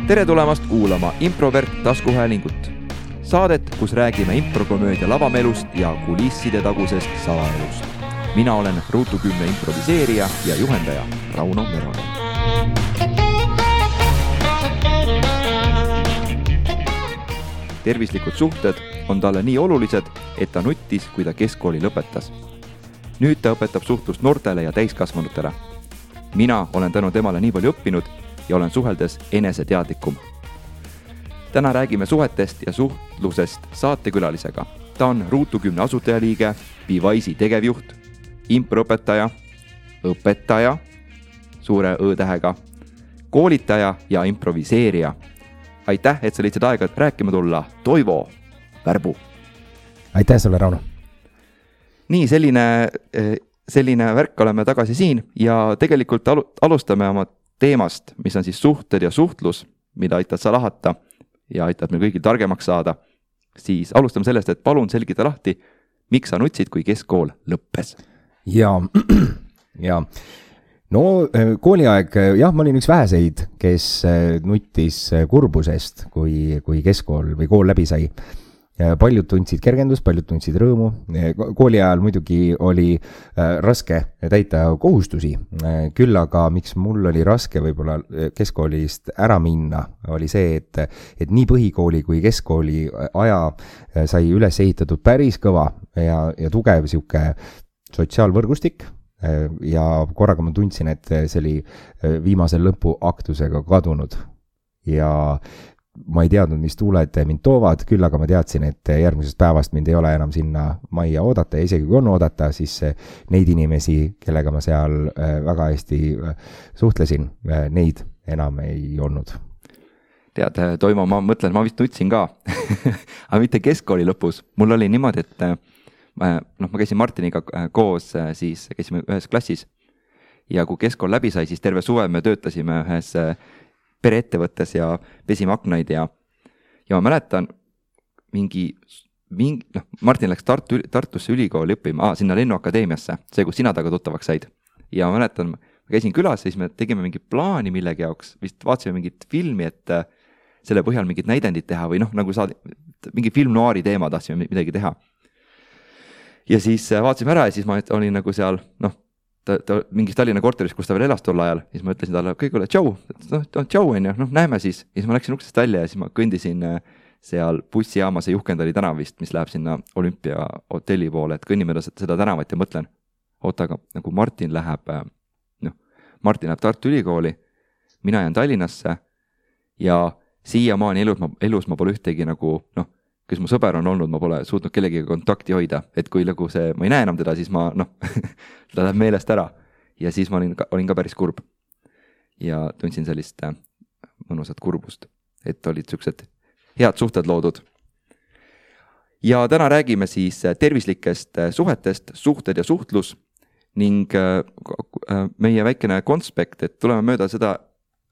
Tere tulemast kuulama Improvert taskuhäälingut. Saadet, kus räägime improkomöödia lavamelust ja kulisside tagusest salaelust. Mina olen Ruutu 10 improviseerija ja juhendaja Rauno Meronen. Tervislikud suhted on talle nii olulised, et ta nuttis, kui ta keskkooli lõpetas. Nüüd ta õpetab suhtlust noortele ja täiskasvanutele. Mina olen tänu temale nii palju õppinud ja olen suheldes eneseteadlikum. Täna räägime suhetest ja suhtlusest saatekülalisega. Ta on Ruutu 10 asutajaliige, Bewise'i tegevjuht, improõpetaja, õpetaja, suure õ-tähega, koolitaja ja improviseerija. Aitäh, et sa lihtsalt aega rääkima tulla, Toivo Värbu. Aitäh sulle, Rauno. Nii, selline värk oleme tagasi siin ja tegelikult alustame oma teemast, mis on siis suhted ja suhtlus, mida aitad sa lahata ja aitad meil kõigil targemaks saada. Siis alustame sellest, et palun selgita lahti, miks sa nutsid, kui keskkool lõppes. Ja no kooliaeg, jah, ma olin üks väheseid, kes nuttis kurbusest, kui keskkool või kool läbi sai. Paljud tundsid kergendust, paljud tundsid rõõmu. Kooli ajal muidugi oli raske täita kohustusi. Küll aga miks mul oli raske võib-olla keskkoolist ära minna, oli see, et nii põhikooli kui keskkooli aja sai üles ehitatud päris kõva ja tugev siuke sotsiaalvõrgustik. Ja korraga ma tundsin, et see oli viimase lõpuaktusega kadunud. Ja ma ei teadnud, mis tuuled mind toovad, küll aga ma teadsin, et järgmisest päevast mind ei ole enam sinna majja oodata ja isegi kui on oodata, siis neid inimesi, kellega ma seal väga hästi suhtlesin, neid enam ei olnud. Tead, Toimo, ma mõtlen, ma vist nutsin ka, aga mitte keskkooli lõpus. Mul oli niimoodi, et ma käisin Martiniga koos, siis käisime ühes klassis ja kui keskkool läbi sai, siis terve suve me töötasime ühes pereettevõttes ja pesime aknaid ja ma mäletan Martin läks Tartusse ülikooli õppima, sinna Lennuakadeemiasse, see, kus sina taga tuttavaks said. Ja ma mäletan, ma käisin külas, siis me tegime mingi plaani millegi jaoks, vist vaatasime mingit filmi, et selle põhjal mingit näidendit teha või nagu mingi filmnoari teema tahtsime midagi teha. Ja siis vaatasime ära ja siis ma olin nagu seal, ta mingis Tallinna korteris, kus ta veel elas tol ajal, siis ma ütlesin talle, kõigile tšau, tšau on ju, näeme siis. Ja siis ma läksin uksest välja ja siis ma kõndisin seal bussijaamas ja Juhkendali tänavist, mis läheb sinna Olümpia hotelli poole, et kõnnime seda tänavat ja mõtlen, aga nagu Martin läheb Tartu Ülikooli, mina jään Tallinnasse ja siiamaani elus ma pole ühtegi nagu, kes mu sõber on olnud, ma pole suutnud kellegiga kontakti hoida, et kui ma ei näe enam teda, siis ta läheb meelest ära ja siis ma olin ka päris kurb ja tundsin sellist mõnusat kurbust, et olid sellised head suhted loodud. Ja täna räägime siis tervislikest suhetest, suhted ja suhtlus ning meie väikene konspekt, et tuleme mööda seda,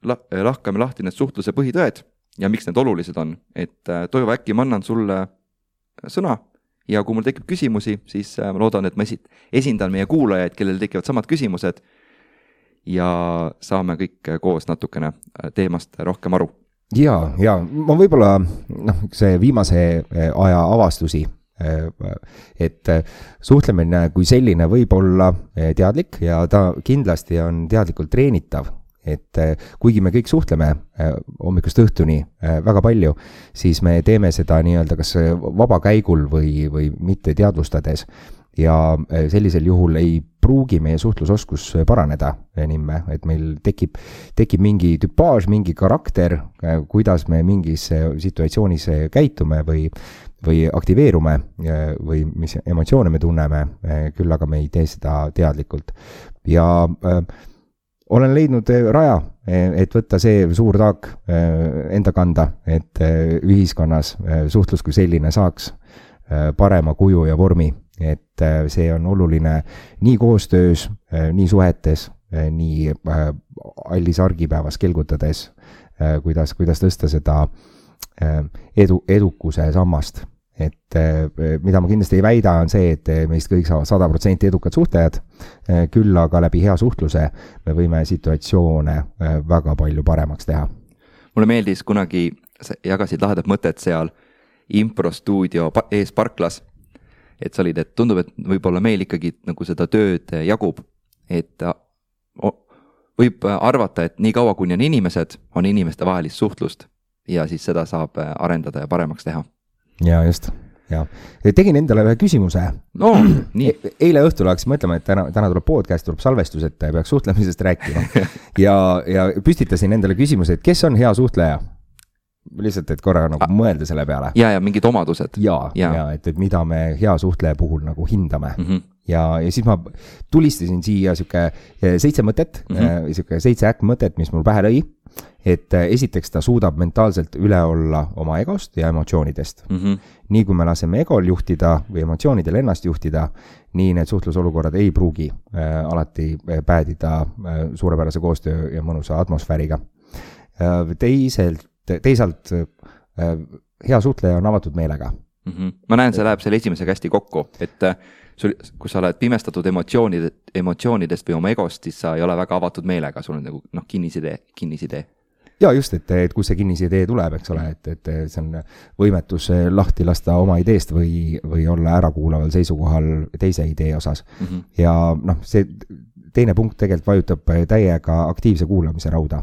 lahkame lahti need suhtluse põhitõed ja miks need olulised on, et Toivo, äkki ma annan sulle sõna ja kui mul tekib küsimusi, siis ma loodan, et ma esindan meie kuulajaid, kellel tekivad samad küsimused ja saame kõik koos natukene teemast rohkem aru. Ja ma võib-olla see viimase aja avastusi, et suhtlemine kui selline võib olla teadlik ja ta kindlasti on teadlikult treenitav. Et kuigi me kõik suhtleme hommikust õhtuni väga palju, siis me teeme seda nii-öelda kas vaba käigul või mitte teadvustades ja sellisel juhul ei pruugi meie suhtlusoskus paraneda nimme, et meil tekib mingi tüpaaž, mingi karakter, kuidas me mingis situatsioonis käitume või aktiveerume või mis emotsioone me tunneme, küll aga me ei tee seda teadlikult. Ja olen leidnud raja, et võtta see suur taak enda kanda, et ühiskonnas suhtlus kui selline saaks parema kuju ja vormi, et see on oluline nii koostöös, nii suhetes, nii allis argipäevas kelgutades, kuidas tõsta seda edukuse sammast. Et mida ma kindlasti ei väida on see, et meist kõik saavad 100% edukad suhtlejad, küll aga läbi hea suhtluse me võime situatsioone väga palju paremaks teha. mulle meeldis kunagi, jagasid lahedat mõtet seal improstuudio ees parklas, et sa olid, et tundub, et võib-olla meil ikkagi nagu seda tööd jagub, et võib arvata, et nii kaua, kuni on inimeste vahelist suhtlust ja siis seda saab arendada ja paremaks teha. Ja just, ja. Tegin endale ühe küsimuse. No, nii. Eile õhtul hakkasin mõtlema, et täna tuleb podcast, tuleb salvestus, et peaks suhtlemisest rääkima. ja püstitasin endale küsimuse, et kes on hea suhtleja? Lihtsalt, et korra nagu mõelda selle peale. Ja mingid omadused. Ja, et mida me hea suhtleja puhul nagu hindame. Ja siis ma tulistasin siia siuke 7 mõtet, siuke 7 mõtet, mis mul pähe lõi. Et esiteks ta suudab mentaalselt üle olla oma egost ja emotsioonidest. Nii kui me laseme egol juhtida või emotsioonidel ennast juhtida, nii need suhtlusolukorrad ei pruugi alati päädida suurepärase koostöö ja mõnusa atmosfääriga. Teisalt hea suhtleja on avatud meelega. Ma näen, see läheb selle esimesega hästi kokku, et kui sa oled pimestatud emotsioonidest või oma egost, siis sa ei ole väga avatud meelega, sul on nagu kinnisidee. Ja just, et kus see kinnisidee tuleb, eks ole, et see on võimetus lahti lasta oma ideest või olla ärakuulaval seisukohal teise idee osas. Ja see teine punkt tegelikult vajutab täiega aktiivse kuulamise rauda.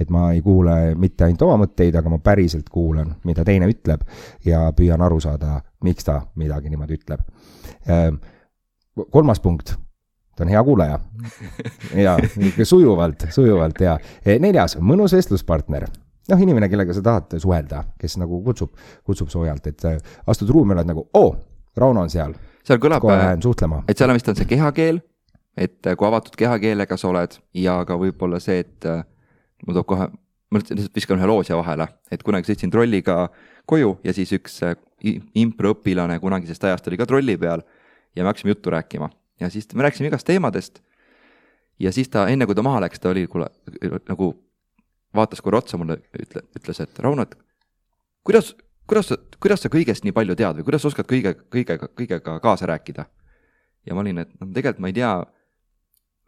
Et ma ei kuule mitte ainult oma mõtteid, aga ma päriselt kuulan, mida teine ütleb ja püüan aru saada, miks ta midagi niimoodi ütleb. 3. punkt, ta on hea kuulaja. Ja sujuvalt ja 4. mõnus vestluspartner. Inimene, kellega sa tahad suhelda, kes nagu kutsub soojalt, et astud ruumi, oled nagu, Rauno on seal. Seal kõlab, kohe lähen suhtlema. Et seal vist on see kehakeel, et kui avatud kehakeelega sa oled ja ka võib-olla see, et ma lihtsalt viskan ühe loosja vahele, et kunagi sõitsin trolliga koju ja siis üks improõpilane kunagisest ajast oli ka trolli peal ja me hakkasime juttu rääkima. Ja siis me rääkisime igast teemadest ja siis ta, enne kui ta maha läks, ta oli nagu vaatas korra otsa mulle, ütles, et Rauno, kuidas sa kõigest nii palju tead või kuidas sa oskad kõigega kaasa rääkida? Ja ma olin, et tegelikult ma ei tea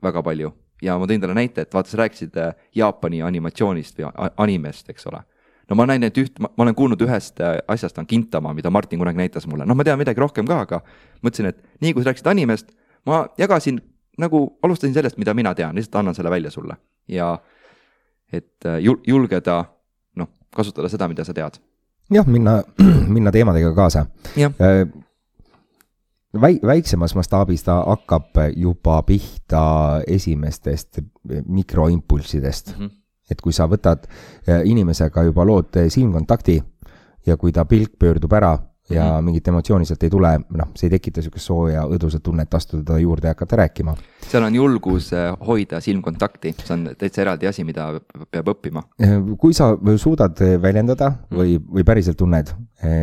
väga palju. Ja ma tõin talle näite, et vaata, sa rääkisid Jaapani animatsioonist või animest, eks ole. No ma näin, et ma olen kuulnud ühest asjast on Gintama, mida Martin kunagi näitas mulle. Ma tean midagi rohkem ka, aga mõtlesin, et nii kui sa rääkisid animest, ma jagasin, nagu alustasin sellest, mida mina tean, lihtsalt annan selle välja sulle. Ja et julgeda, kasutada seda, mida sa tead. Jah, minna teemadega kaasa. Jah. Väiksemas mastaabis ta hakkab juba pihta esimestest mikroimpulssidest. Et kui sa võtad inimesega juba lood silmkontakti ja kui ta pilk pöördub ära ja mingit emotsiooni sealt ei tule, see ei tekita sellist sooja õdusat tunnet astuda juurde ja hakata rääkima. Seal on julgus hoida silmkontakti, see on täitsa eraldi asi, mida peab õppima. Kui sa suudad väljendada või päriselt tunned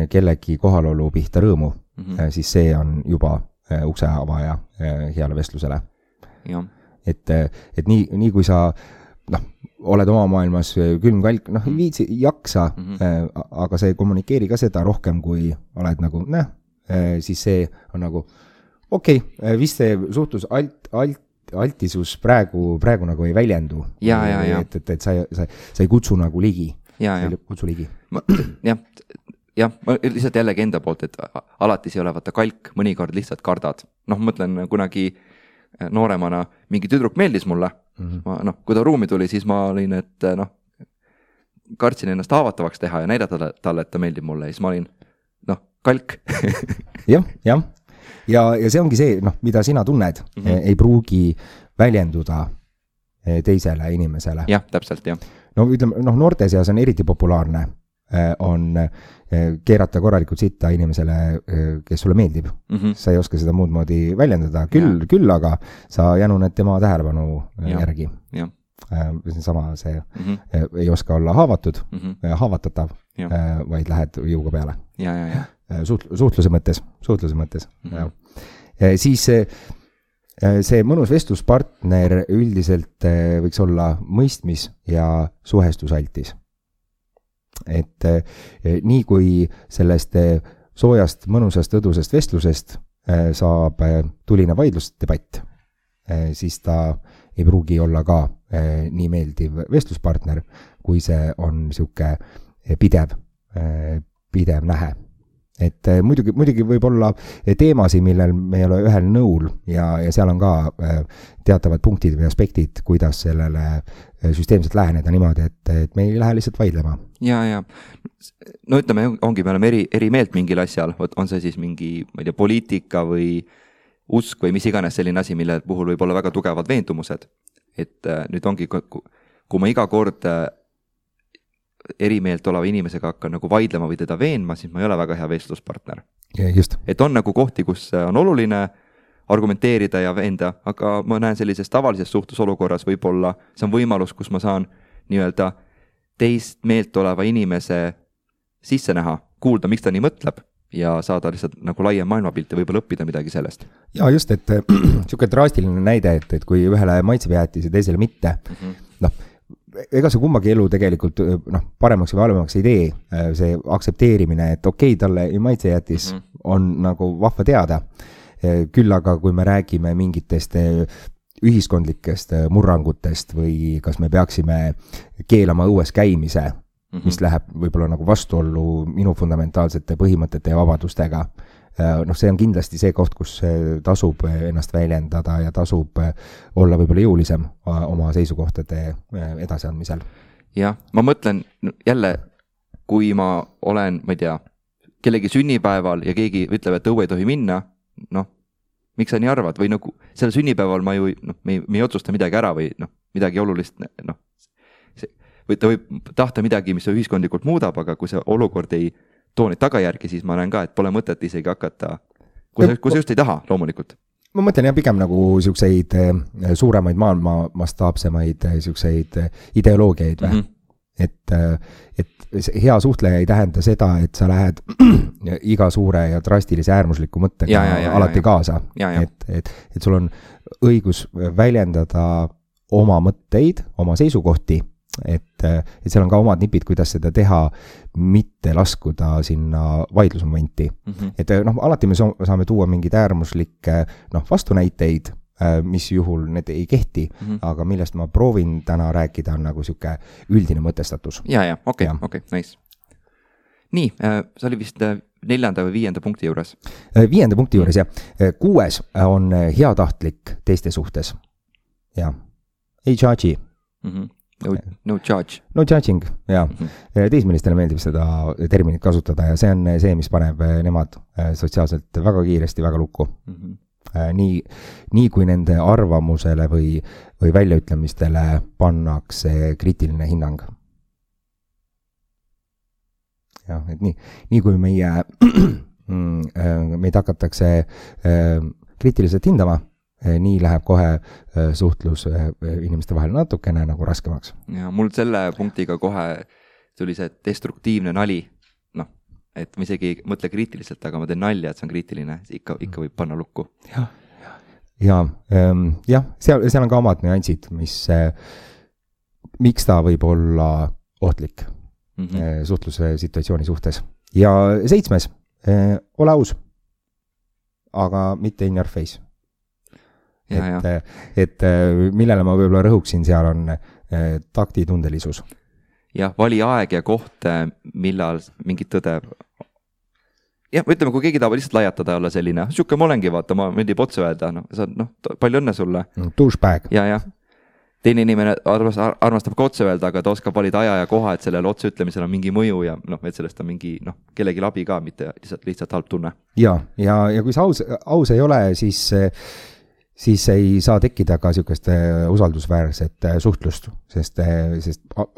kellegi kohalolu pihta rõõmu, siis see on juba ukse avaja heale vestlusele. Ja. Et nii kui sa oled oma maailmas külmkalk, viitsi jaksa, aga see ei kommunikeeri ka seda rohkem, kui oled nagu, siis see on nagu, vist see suhtlus altisus praegu nagu ei väljendu. Ja. Et sa ei kutsu nagu ligi. Ja. Kutsu ligi. Jah, ma lihtsalt jällegi enda poolt, et alati see ei ole vaata kalk, mõnikord lihtsalt kardad. Mõtlen kunagi nooremana mingi tüdruk meeldis mulle. Kui ta ruumi tuli, siis ma olin, et kartsin ennast haavatavaks teha ja näidata talle, et ta meeldib mulle. Ja siis ma olin, kalk. Jah. Ja see ongi see, mida sina tunned, ei pruugi väljenduda teisele inimesele. Jah, täpselt, jah. Ütleme, noorte seas on eriti populaarne on keerata korralikult sitta inimesele, kes sulle meeldib. Sa ei oska seda muud moodi väljendada, küll aga sa jänuned tema tähelepanu järgi. Sama see ei oska olla haavatatav, vaid lähed jõuga peale. Suhtluse mõttes. Siis see mõnus vestluspartner üldiselt võiks olla mõistmis ja suhestusaltis. Et nii kui sellest soojast, mõnusast, õdusest vestlusest saab tuline vaidlusdebatt, siis ta ei pruugi olla ka nii meeldiv vestluspartner, kui see on sihuke pidev nähe. Et muidugi võib olla teemasi, millel me ei ole ühel nõul ja seal on ka teatavad punktid või aspektid, kuidas sellele süsteemselt läheneda niimoodi, et me ei lähe lihtsalt vaidlema. Ja. No ütleme, ongi, me oleme eri meelt mingil asjal, on see siis mingi, ma ei tea, poliitika või usk või mis iganes selline asi, mille puhul võib olla väga tugevad veendumused. Et nüüd ongi, kui ma iga kord eri meelt oleva inimesega hakkan nagu vaidlema või teda veenma, siis ma ei ole väga hea vestluspartner. Just. Et on nagu kohti, kus on oluline argumenteerida ja veenda, aga ma näen sellises tavalises suhtlusolukorras võib-olla, see on võimalus, kus ma saan nii-öelda teist meelt oleva inimese sisse näha, kuulda, miks ta nii mõtleb ja saada lihtsalt nagu laiem maailmapilt ja võib-olla õppida midagi sellest. Ja just, et siuke drastiline näide, et kui ühele maitseb jäätis ja teisele mitte, ega see kummagi elu tegelikult paremaks või halvemaks ei tee, see aksepteerimine, et okei, talle ei maitse jäätis on nagu vahva teada. Küll aga kui me räägime mingitest ühiskondlikest murrangutest või kas me peaksime keelama õues käimise, mis läheb võib-olla nagu vastuollu minu fundamentaalsete põhimõtete ja vabadustega. See on kindlasti see koht, kus tasub ennast väljendada ja tasub olla võib-olla jõulisem oma seisukohtade edasiandmisel. Jah, ma mõtlen jälle, kui ma olen, ma ei tea, kellegi sünnipäeval ja keegi ütleb, et õue ei tohi minna, miks sa nii arvad? Või nagu selle sünnipäeval ma ju, me ei otsusta midagi ära või midagi olulist, või ta võib tahta midagi, mis ühiskondlikult muudab, aga kui see olukord ei too neid tagajärgi, siis ma näen ka, et pole mõtet isegi hakata, kui sa just ei taha, loomulikult. Ma mõtlen pigem nagu siukseid suuremaid maailma mastaapsemaid siukseid ideoloogiaid või? Et hea suhtleja ei tähenda seda, et sa lähed iga suure ja drastilise äärmusliku mõttega alati kaasa. Et sul on õigus väljendada oma mõtteid, oma seisukohti, et seal on ka omad nipid, kuidas seda teha, mitte laskuda sinna vaidlusmomenti. Et alati me saame tuua mingid äärmuslikke vastunäiteid, mis juhul need ei kehti, aga millest ma proovin täna rääkida on nagu siuke üldine mõtestatus. Okei, nice. Nii, see oli vist 4. või 5. punkti juures. 5. punkti juures, jah. 6 on heatahtlik teiste suhtes. Ja. Ei judge'i. No judge. No judging, jah. Teismelistele meeldib seda terminit kasutada ja see on see, mis paneb nemad sotsiaalselt väga kiiresti väga lukku. Nii kui nende arvamusele või väljaütlemistele pannakse kriitiline hinnang. Jah, et nii kui meid hakatakse kriitiliselt hindama, nii läheb kohe suhtlus inimeste vahel natukene nagu raskemaks. Ja mul selle punktiga kohe tuli see destruktiivne nali. Et ma isegi ei mõtle kriitiliselt, aga ma teen nalja, et see on kriitiline, ikka võib panna lukku. Jah, seal on ka omad nüansid, miks ta võib olla ohtlik suhtluse situatsiooni suhtes. Ja 7, ole aus, aga mitte in your face. Et millele ma võib-olla rõhuksin seal on taktitundelisus. Jah, vali aeg ja koht, millal mingit tõde. Jah, ütleme, kui keegi tahab lihtsalt lajatada olla selline, siuke ma olengi, vaata, ma meeldib otse öelda, palju õnne sulle. Douchebag. Ja. Teine inimene armastab ka otse öelda, aga ta oskab valida aja ja koha, et sellele otse ütlemisel on mingi mõju ja et sellest on mingi kellegi labi ka, mitte lihtsalt halb tunne. Ja kui see aus ei ole, siis ei saa tekkida ka siukest usaldusväärset suhtlust, sest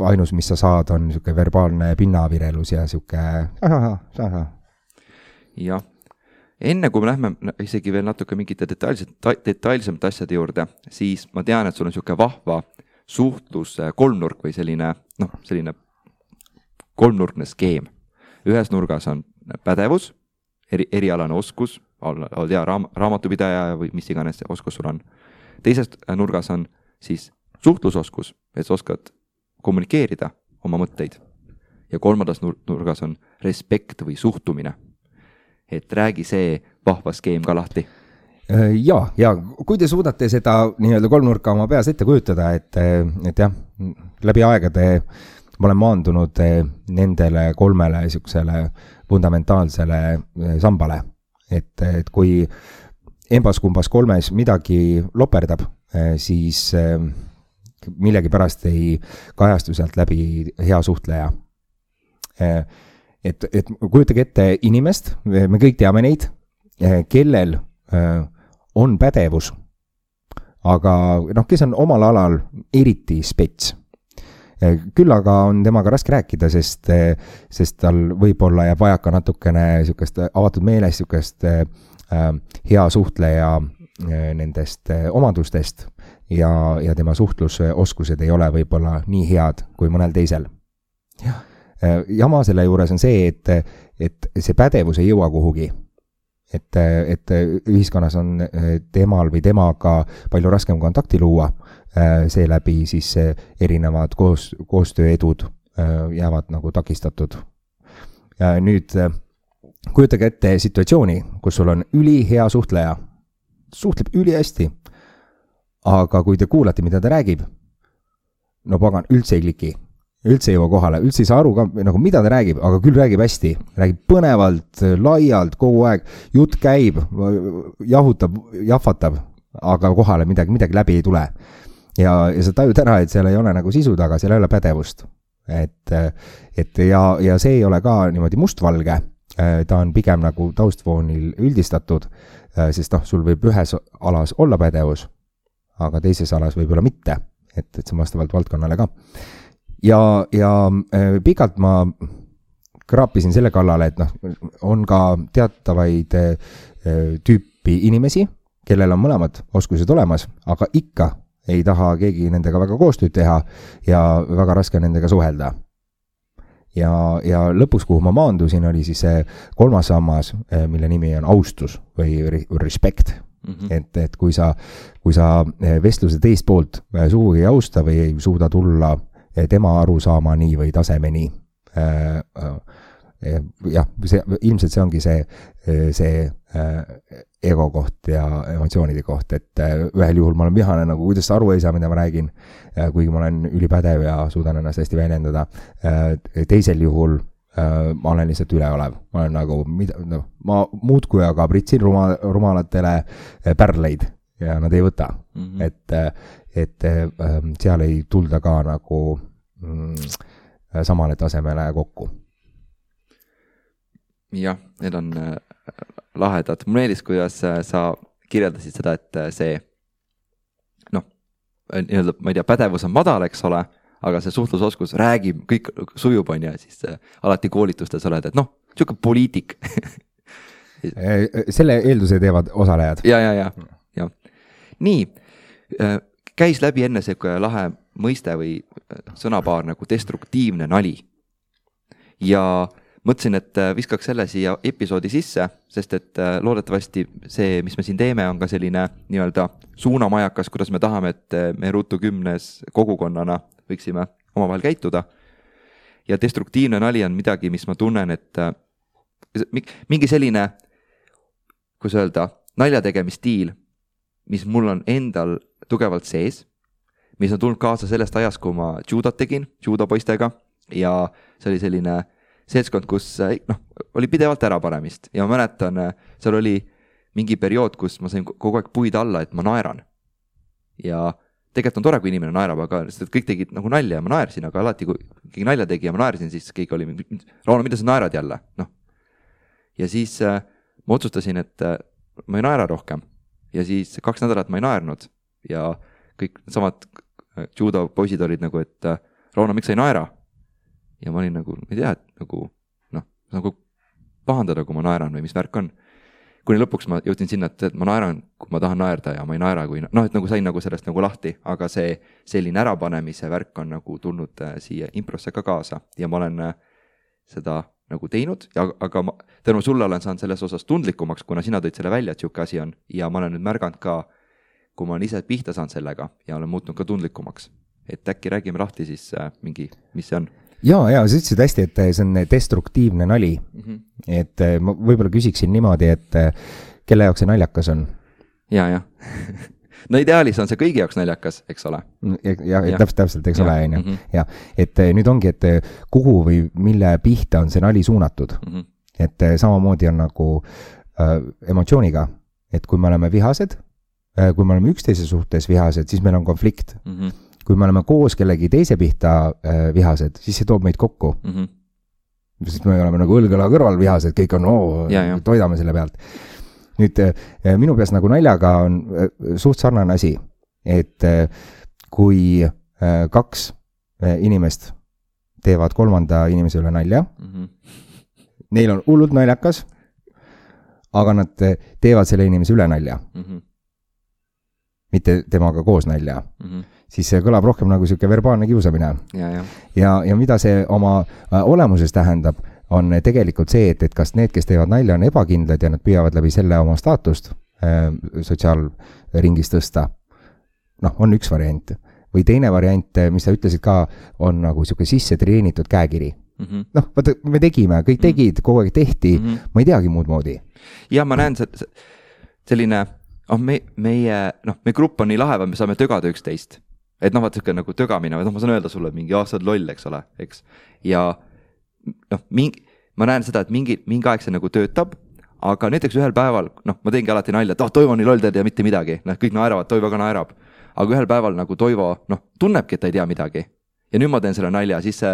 ainus, mis sa saad, on siuke verbaalne pinnavirelus ja siuke Jah. Enne kui me lähme isegi veel natuke mingite detailsemate asjade juurde, siis ma tean, et sul on siuke vahva suhtlus kolmnurk või selline kolmnurkne skeem. Ühes nurgas on pädevus, erialane oskus, oled hea raamatupidaja või mis iganes oskus sul on. Teises nurgas on siis suhtlusoskus, et sa oskad kommunikeerida oma mõtteid. Ja kolmandas nurgas on respekt või suhtumine. Et räägi see vahva skeem ka lahti. ja kui te suudate seda nii-öelda kolmnurka oma peas ette kujutada, et jah, läbi aegade ma olen maandunud nendele 3 niisugusele fundamentaalsele sambale, et kui embas-kumbas 3 midagi loperdab, siis millegi pärast ei kajastu sealt läbi hea suhtleja. Et kujutage ette inimest, me kõik teame neid, kellel on pädevus, aga kes on omal alal eriti spets. Küll aga on temaga raske rääkida, sest tal võib-olla jääb vajaka natukene sükest avatud meeles, sükest hea suhtleja nendest omadustest ja tema suhtlusoskused ei ole võib-olla nii head kui mõnel teisel. Jama selle juures on see, et see pädevus ei jõua kuhugi. Et ühiskonnas on temal või temaga palju raskem kontakti luua, seeläbi siis erinevad koostööedud jäävad nagu takistatud. Nüüd kujutage ette situatsiooni, kus sul on ülihea suhtleja, suhtleb ülihästi, aga kui te kuulate, mida ta räägib, no pagan, üldse ei kliki, üldse ei jõua kohale, üldse ei saa aru ka, nagu mida ta räägib, aga küll räägib hästi, räägib põnevalt, laialt, kogu aeg, jutt käib, jahutab, jahvatab, aga kohale midagi läbi ei tule. Ja sa tajud ära, et seal ei ole nagu sisu taga, seal ei ole pädevust. Ja see ei ole ka niimoodi mustvalge, ta on pigem nagu taustfoonil üldistatud, sest sul võib ühes alas olla pädevus, aga teises alas võib-olla mitte, et see vastavalt valdkonnale ka. Ja pikalt ma kraapisin selle kallale, et on ka teatavaid tüüpi inimesi, kellel on mõlemad oskused olemas, aga ikka ei taha keegi nendega väga koostööd teha ja väga raske nendega suhelda. Ja lõpuks, kuhu ma maandusin, oli siis see 3. sammas, mille nimi on austus või respect. Et kui sa vestluse teist poolt sugugi ei austa või ei suuda tulla tema arusaamani või tasemeni, jah, ilmselt see ongi see ego koht ja emotsioonide koht, et ühel juhul ma olen vihane, nagu kuidas aru ei saa, mida ma räägin, kuigi ma olen ülipädev ja suudan ennast hästi väljendada. Teisel juhul ma olen lihtsalt üleolev. Ma olen nagu, ma muudkui aga pritsin rumalatele pärleid ja nad ei võta. Et seal ei tulda ka nagu samale tasemele kokku. Jah, need on lahedad. Mulle meeldis, kuidas sa kirjeldasid seda, et see ma ei tea, pädevus on madal, eks ole, aga see suhtlusoskus räägib, kõik sujub on ja siis alati koolitustes oled, et siuke poliitik. Selle eelduse teevad osalejad. Ja. Nii, käis läbi enne see lahe mõiste või sõnapaar nagu destruktiivne nali. Ja mõtlesin, et viskaks selle siia episoodi sisse, sest et loodetavasti see, mis me siin teeme, on ka selline nii-öelda suunamajakas, kuidas me tahame, et me Ruutu 10 kogukonnana võiksime omavahel käituda. Ja destruktiivne nali on midagi, mis ma tunnen, et mingi selline, kus öelda, naljategemisstiil, mis mul on endal tugevalt sees, mis on tulnud kaasa sellest ajast, kui ma judot tegin, judopoistega, ja see oli selline seltskond, kus oli pidevalt ärapanemist ja ma mäletan, seal oli mingi periood, kus ma sain kogu aeg puid alla, et ma naeran. Ja tegelikult on tore, kui inimene naerab, aga kõik tegid nagu nalja ja ma naersin, aga alati, kui keegi nalja tegi ja ma naersin, siis keegi oli, Rauno, mida sa naerad jälle? Ja siis ma otsustasin, et ma ei naera rohkem. Ja siis 2 nädalat ma ei naernud ja kõik samad judo poisid olid nagu, et Rauno, miks sa ei naera? Ja ma olin nagu, ma ei tea, et nagu pahandada, kui ma naeran või mis värk on. Kuni lõpuks ma jõudsin sinna, et ma naeran, kui ma tahan naerda ja ma ei naera, kui et nagu sain nagu sellest nagu lahti, aga see selline ärapanemise värk on nagu tulnud siia improsse ka kaasa ja ma olen seda nagu teinud, aga tänu sulle olen saanud selles osas tundlikumaks, kuna sina tõid selle välja, et siuke asi on ja ma olen nüüd märganud ka, kui ma olen ise pihta saanud sellega ja olen muutnud ka tundlikumaks, et äkki räägime lahti siis mingi, mis see on. Ja, sa ütlesid hästi, et see on destruktiivne nali. Et ma võib-olla küsiksin niimoodi, et kelle jaoks see naljakas on? ja no ideaalis on see kõigi jaoks naljakas, eks ole. Ja. Täpselt, eks ole, on ju. Ja, et nüüd ongi, et kuhu või mille pihta on see nali suunatud. Et samamoodi on nagu emotsiooniga, et kui me oleme vihased, kui me oleme üksteise suhtes vihased, siis meil on konflikt. Kui me oleme koos kellegi teise pihta vihased, siis see toob meid kokku. Sest me oleme nagu õlgõla kõrval vihased, kõik on, toidame selle pealt. Nüüd minu peas nagu naljaga on suht sarnane asi, et kui kaks inimest teevad kolmanda inimese üle nalja, neil on hullult naljakas, aga nad teevad selle inimese üle nalja. Mitte temaga koos nalja. Siis see kõlab rohkem nagu selline verbaalne kiusamine. Ja mida see oma olemuses tähendab, on tegelikult see, et kas need, kes teevad nalja, on ebakindlad ja nad püüavad läbi selle oma staatust sotsiaalringis tõsta. On üks variant. Või teine variant, mis sa ütlesid ka, on nagu selline sisse treenitud käekiri. Vaata, me tegime, kõik tegid, kogu aeg tehti, ma ei teagi muud moodi. Ja ma näen selline, meie grupp on nii lahe, me saame tögada üksteist. Et vaata selline nagu tögamine, ma saan öelda sulle mingi aastad loll, eks ole, eks. Ja ma näen seda, et mingi aeg see nagu töötab, aga näiteks ühel päeval, ma teengi alati nalja, et Toivo nii loll teed ja mitte midagi, kõik naeravad, Toivo ka naerab, aga ühel päeval nagu Toivo, tunnebki, et ta ei tea midagi. Ja nüüd ma teen selle nalja, siis see,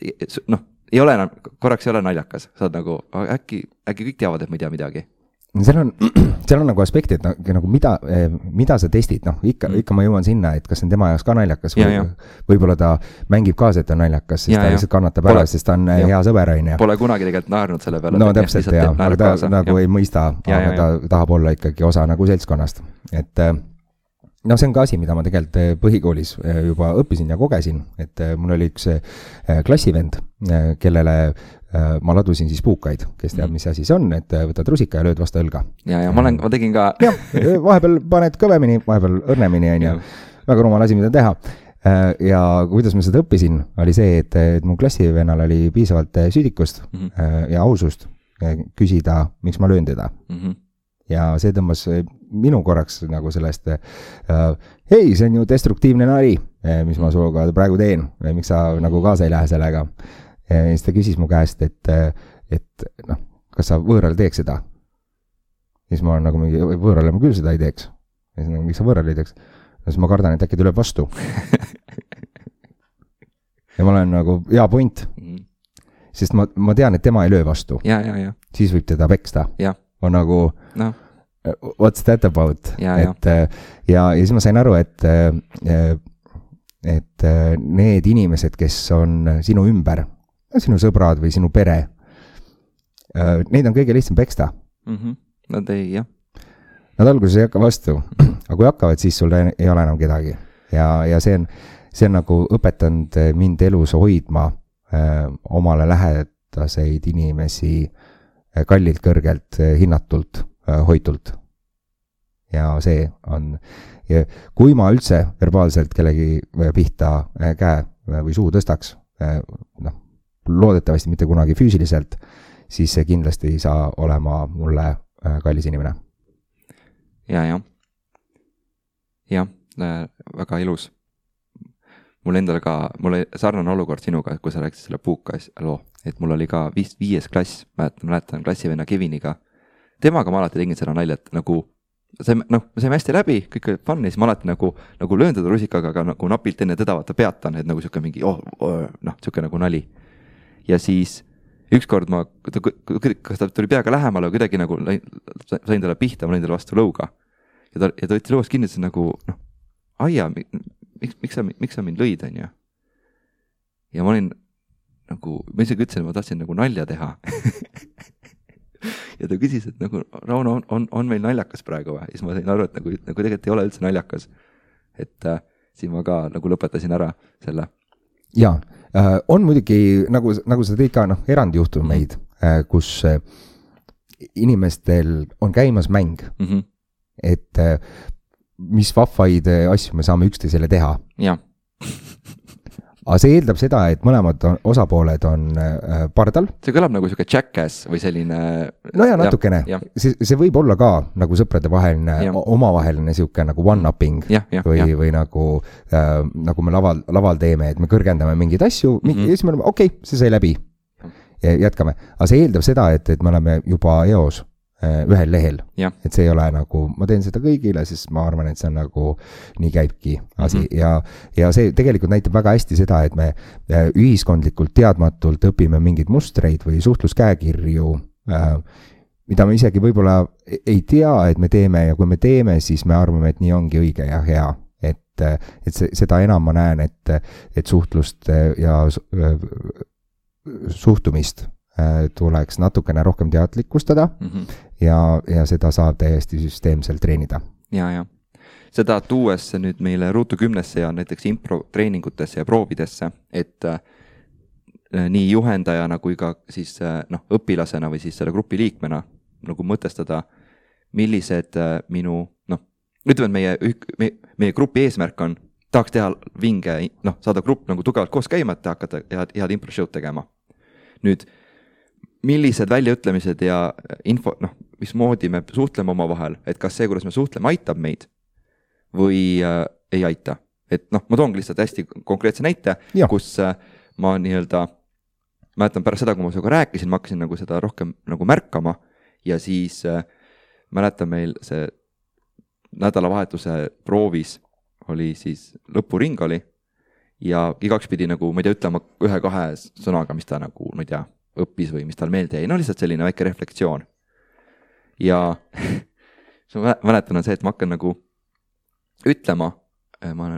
ei ole enam, korraks ei ole naljakas, saad nagu, äkki kõik teavad, et ma ei tea midagi. Seal on nagu aspekti, et nagu mida sa testid, ikka ma jõuan sinna, et kas on tema jaoks ka naljakas võib-olla ta mängib kaasa, et on naljakas, sest ta lihtsalt kannatab ära, sest ta on hea sõber. Pole kunagi tegelikult naernud selle peale. No täpselt, aga ta nagu ei mõista, aga ta tahab olla ikkagi osa nagu seltskonnast. Et see on ka asi, mida ma tegelikult põhikoolis juba õppisin ja kogesin, et mul oli üks klassivend, kellele ma ladusin siis puukaid, kes teab, mis asi see on, et võtad rusika ja lööd vastu õlga. Ja ma tegin ka. Ja, vahepeal paned kõvemini, vahepeal õrnemini, väga rumal asi, mida teha. Ja kuidas ma seda õppisin, oli see, et mu klassivennal oli piisavalt süüdikust ja ausust küsida, miks ma löön teda. Ja see tõmbas minu korraks nagu sellest, hei, see on ju destruktiivne nali, mis ma suuga praegu teen, miks sa nagu kaasa ei lähe sellega. Ja siis ta küsis mu käest, et kas sa võõral teeks seda? Ja siis ma olen nagu mingi, võõrale ma küll seda ei teeks. Ja siis nagu, miks sa võõral ei teeks? Ja siis ma kardan, et äkki tuleb vastu. Ja ma olen nagu, hea point. Sest ma tean, et tema ei löö vastu. Ja. Siis võib teda peksta. On nagu, what's that about? Ja siis ma sain aru, et need inimesed, kes on sinu ümber, sinu sõbrad või sinu pere, neid on kõige lihtsam peksta. Nad alguses ei hakka vastu, aga kui hakkavad, siis sul ei ole enam kedagi. Ja see on nagu õpetanud mind elus hoidma omale lähedaseid inimesi kallilt, kõrgelt, hinnatult, hoitult. Ja see on, kui ma üldse verbaalselt kellegi pihta käe või suu tõstaks, loodetavasti mitte kunagi füüsiliselt, siis see kindlasti ei saa olema mulle kallis inimene. Ja, väga ilus. Mul endal ka, mul oli sarnane olukord sinuga, kui sa rääkisid selle puuka loo, et mul oli ka 5. klass, mäletan klassivenna Keviniga. Temaga ma alati tegin seda naljat, nagu me saime hästi läbi, kõik oli fun, ja siis ma alati nagu löön teda rusikaga, aga nagu napilt enne teda vaata peatan, et nagu siuke mingi, siuke nagu nali. Ja siis ükskord kas ta tuli peaga lähemale, kuidagi nagu sain talle pihta, ma lõin talle vastu lõuga. Ja ta võttis lõuast kinni, et see nagu, aia, miks sa mind lõid, on ju? Ja ma olin nagu, ma isegi ütlesin, et ma tahtsin nagu nalja teha. Ja ta küsis, et nagu, Rauno, on meil naljakas praegu või? Ja siis ma sain aru, et nagu tegelikult ei ole üldse naljakas. Et siis ma ka nagu lõpetasin ära selle. Ja, on muidugi, nagu sa tõid ka erandjuhtumeid, kus inimestel on käimas mäng, et mis vahvaid asju me saame üksteisele teha. Ja. aga see eeldab seda, et mõlemad osapooled on pardal. See kõlab nagu selline jackass või selline... No ja natukene. See võib olla ka nagu sõprade vaheline, omavaheline siuke nagu one-upping või nagu me laval teeme, et me kõrgendame mingeid asju ja siis me oleme, okei, see sai läbi. Ja jätkame. Aga see eeldab seda, et me oleme juba eos ühel lehel, et see ei ole nagu, ma teen seda kõigile, sest ma arvan, et see on nagu, nii käibki asi ja see tegelikult näitab väga hästi seda, et me ühiskondlikult teadmatult õpime mingeid mustreid või suhtluskäekirju, mida me isegi võib-olla ei tea, et me teeme ja kui me teeme, siis me arvame, et nii ongi õige ja hea, et seda enam ma näen, et suhtlust ja suhtumist tuleks natukene rohkem teadlikustada ja seda saab täiesti süsteemselt treenida. Ja. Seda tuues nüüd meile Ruutu 10-sse ja näiteks impro treeningutesse ja proovidesse, et nii juhendajana kui ka siis õpilasena või siis selle grupi liikmena nagu mõtestada, millised minu, ütleme, meie grupi eesmärk on, tahaks teha vinge, saada grupp nagu tugevalt koos käima, et hakata head impro show'd tegema. Nüüd, millised väljaütlemised ja info, mismoodi me suhtleme oma vahel, et kas see, kuidas me suhtleme, aitab meid või ei aita. Et ma toongi lihtsalt hästi konkreetse näite, kus ma mäletan pärast seda, kui ma sinuga rääkisin, ma hakkasin nagu seda rohkem nagu märkama ja siis mäletan meil see nädalavahetuse proovis oli siis lõpuring oli ja igaks pidi nagu, ma ei tea, ütlema 1-2 sõnaga, mis ta nagu, ma ei tea, õppis või mis tal meelde jäi. Lihtsalt selline väike reflektsioon. Ja ma mäletan on see, et ma hakkan nagu ütlema, ma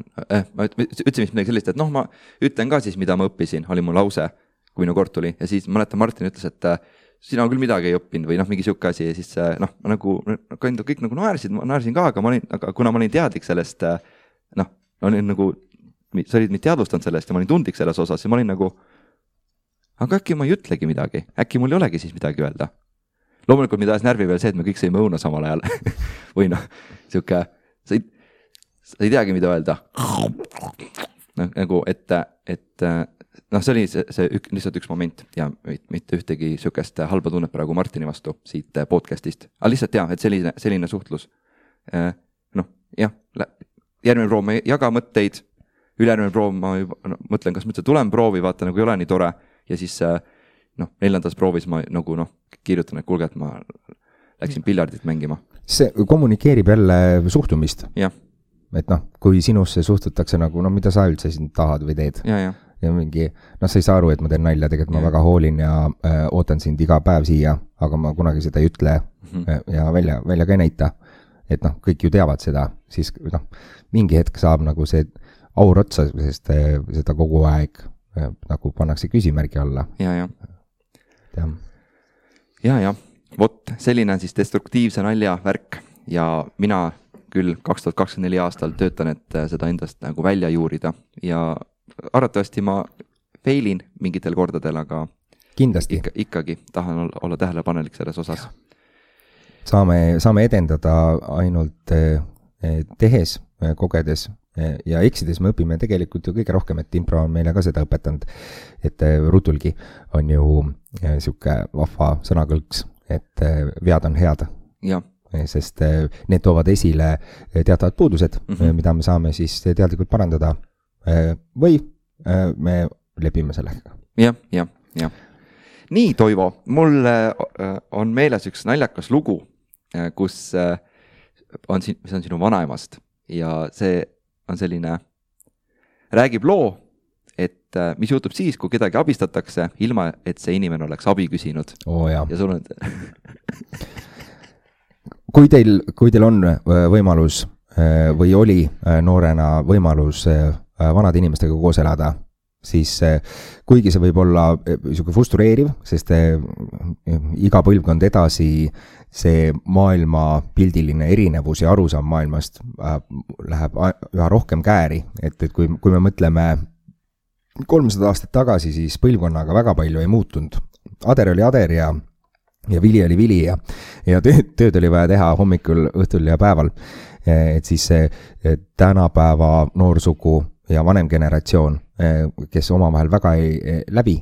ütlesin midagi sellist, et ma ütlen ka siis, mida ma õppisin, oli mu lause, kui minu kord tuli. Ja siis mäletan, Martin ütles, et sina küll midagi ei õppinud või mingi siuke asi. Ja siis nagu kõik nagu naersid, ma naersin ka, aga kuna ma olin teadlik sellest, olin nagu, sa olid mind teadvustanud sellest ja ma olin tundlik selles osas ja ma olin nagu, aga äkki ma ei ütlegi midagi, äkki mul ei olegi siis midagi öelda. Loomulikult mida ajas närvi veel see, et me kõik sõime õuna samal ajal või siuke, sa ei teagi, mida öelda. Nagu, et see oli lihtsalt üks moment ja mitte ühtegi siukest halba tunnet praegu Martini vastu siit podcastist. Aga lihtsalt et selline suhtlus. Järgmine proov ma jaga mõtteid, ülejärgmine proov ma mõtlen, kas mõtlen tulem proovi, vaata nagu ei ole nii tore ja siis 4. proovis ma nagu kirjutan, et kuulge, et ma läksin piljardit mängima. See kommunikeerib jälle suhtumist. Jah. Et kui sinusse suhtutakse nagu, mida sa üldse siin tahad või teed. Ja mingi, sa ei saa aru, et ma teen nalja, tegelikult ma väga hoolin ja ootan sind iga päev siia, aga ma kunagi seda ei ütle ja välja ka ei näita. Et kõik ju teavad seda, siis mingi hetk saab nagu see aur otsa, sest seda kogu aeg nagu pannakse küsimärgi alla. Ja. Vot, selline on siis destruktiivse nalja värk ja mina küll 2024 aastal töötan, et seda endast nagu välja juurida ja arvatavasti ma failin mingitel kordadel, aga kindlasti ikkagi tahan olla tähelepanelik selles osas. Saame edendada ainult tehes, kogedes ja eksides me õpime tegelikult ju kõige rohkem, et impro on meile ka seda õpetanud, et Rutulgi on ju siuke vahva sõnakõlks, et vead on head. Sest need toovad esile teatavad puudused, mida me saame siis teadlikult parandada või me lepime sellega. Ja. Nii, Toivo, mul on meeles üks naljakas lugu, kus see on sinu vanaemast ja see on selline, räägib loo, et mis juhtub siis, kui kedagi abistatakse, ilma et see inimene oleks abi küsinud. Ja sul on... Kui teil on võimalus või oli noorena võimalus vanade inimestega koos elada, siis kuigi see võib olla frustreeriv, sest iga põlvkond edasi see maailma pildiline erinevus ja arusaam maailmast läheb üha rohkem kääri, et kui me mõtleme 300 aastat tagasi, siis põlvkonnaga väga palju ei muutunud. Ader oli ader ja vili oli vili ja tööd oli vaja teha hommikul, õhtul ja päeval. Et siis tänapäeva noorsugu ja vanem generatsioon, kes omavahel väga ei läbi,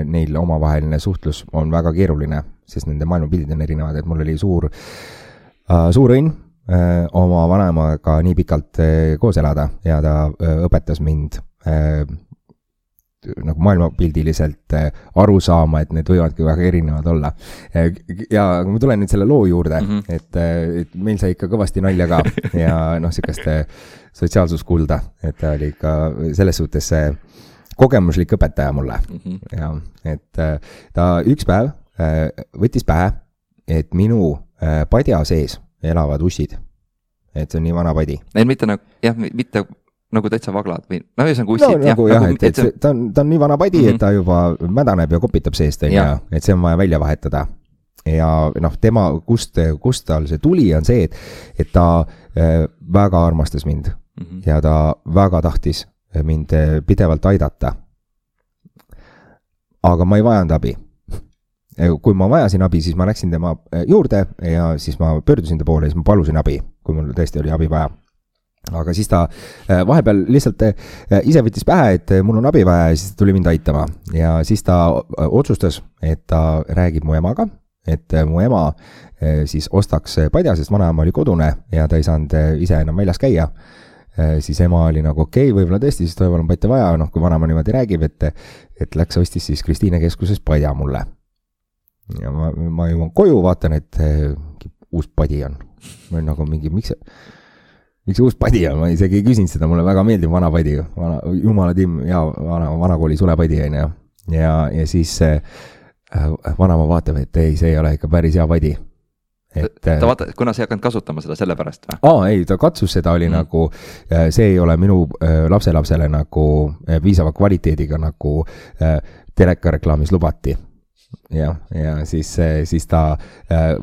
neil omavaheline suhtlus on väga keeruline, sest nende maailmapildid on erinevad, et mul oli suur õnn oma vanemaga nii pikalt koos elada ja ta õpetas mind nagu maailmapildiliselt aru saama, et need võivadki väga erinevad olla. Ja ma tulen nüüd selle loo juurde, et meil sai ikka kõvasti nalja ka ja sükast sotsiaalsuskulda, et ta oli ikka selles suhtes kogemuslik õpetaja mulle. Ja, et ta üks päev võttis pähe, et minu padja sees elavad ussid. Et see on nii vana padi. Neil mitte nagu täitsa vaglad või ühesõnaga ussid. Nagu, et ta on nii vana padi, et ta juba mädaneb ja kopitab seest, et see on vaja välja vahetada. Ja tema, kust tal see tuli, on see, et ta väga armastas mind ja ta väga tahtis mind pidevalt aidata. Aga ma ei vajanud abi. Kui ma vajasin abi, siis ma läksin tema juurde ja siis ma pöördusin ta poole ja siis ma palusin abi, kui mul tõesti oli abi vaja. Aga siis ta vahepeal lihtsalt ise võttis pähe, et mul on abi vaja ja siis ta tuli mind aitama. Ja siis ta otsustas, et ta räägib mu emaga, et mu ema siis ostaks padja, sest vanaema oli kodune ja ta ei saanud ise enam väljas käia. Siis ema oli nagu okei, võib-olla tõesti, siis toival on patja vaja, kui vanaema niimoodi räägib, et läks ostis siis Kristiine keskuses padja mulle. Ja ma jõuan koju, vaatan, et uus padi on. Ma olen nagu mingi, miks see uus padi on? Ma isegi ei küsinud seda, mulle väga meeldib vana padi. Jumala timm, ja vanakooli sulepadi on ja siis vanama vaatab, et ei, see ei ole ikka päris hea padi. Ta vaata, kuna sa ei hakanud kasutama seda selle pärast või? Ei, ta katsus seda oli nagu, see ei ole minu lapselapsele nagu piisava kvaliteediga nagu telekareklaamis lubati. Ja siis ta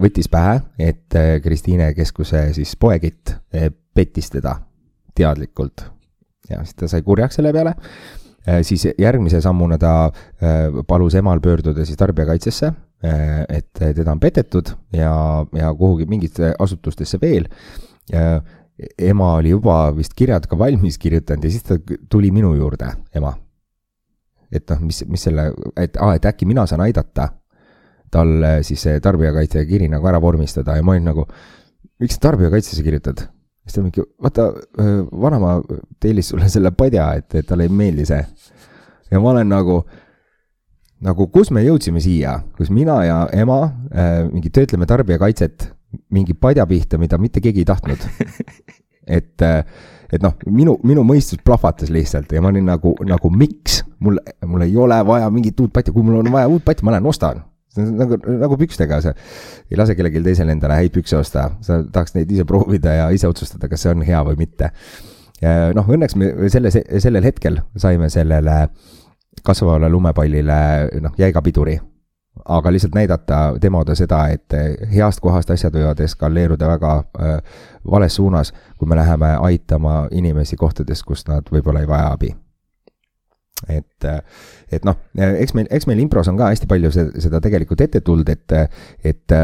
võttis pähe, et Kristiine keskuse siis poekitt pettis teda teadlikult. Ja siis ta sai kurjaks selle peale. Siis järgmise sammuna ta palus emal pöörduda siis tarbijakaitsesse, et teda on petetud ja kuhugi mingite asutustesse veel. Ema oli juba vist kirjad ka valmis kirjutanud ja siis ta tuli minu juurde, ema. Et mis selle, et äkki mina saan aidata tal siis tarbijakaitse kiri nagu ära vormistada ja ma olin nagu, miks sa tarbijakaitsesse kirjutad? Siis ta mingi, vaata, vanama teilis sulle selle padja, et talle ei meeldi see. Ja ma olen nagu kus me jõudsime siia, kus mina ja ema mingi töötleme tarbijakaitset mingi padja pihta, mida mitte keegi ei tahtnud. Et minu mõistus plahvatas lihtsalt ja ma olin nagu miks? Mul ei ole vaja mingit uut patja, kui mul on vaja uut patja, ma lähen ostan. See on nagu pükstega, sa ei lase kellelgi teisel endale häid pükse osta, sa tahaks neid ise proovida ja ise otsustada, kas see on hea või mitte. Õnneks me sellel hetkel saime sellele kasvavale lumepallile jäiga piduri, aga lihtsalt näidata demoda seda, et heast kohast asjad võivad eskaleeruda väga vales suunas, kui me läheme aitama inimesi kohtades, kus nad võib-olla ei vaja abi. Et eks meil impros on ka hästi palju seda tegelikult ette tuld, et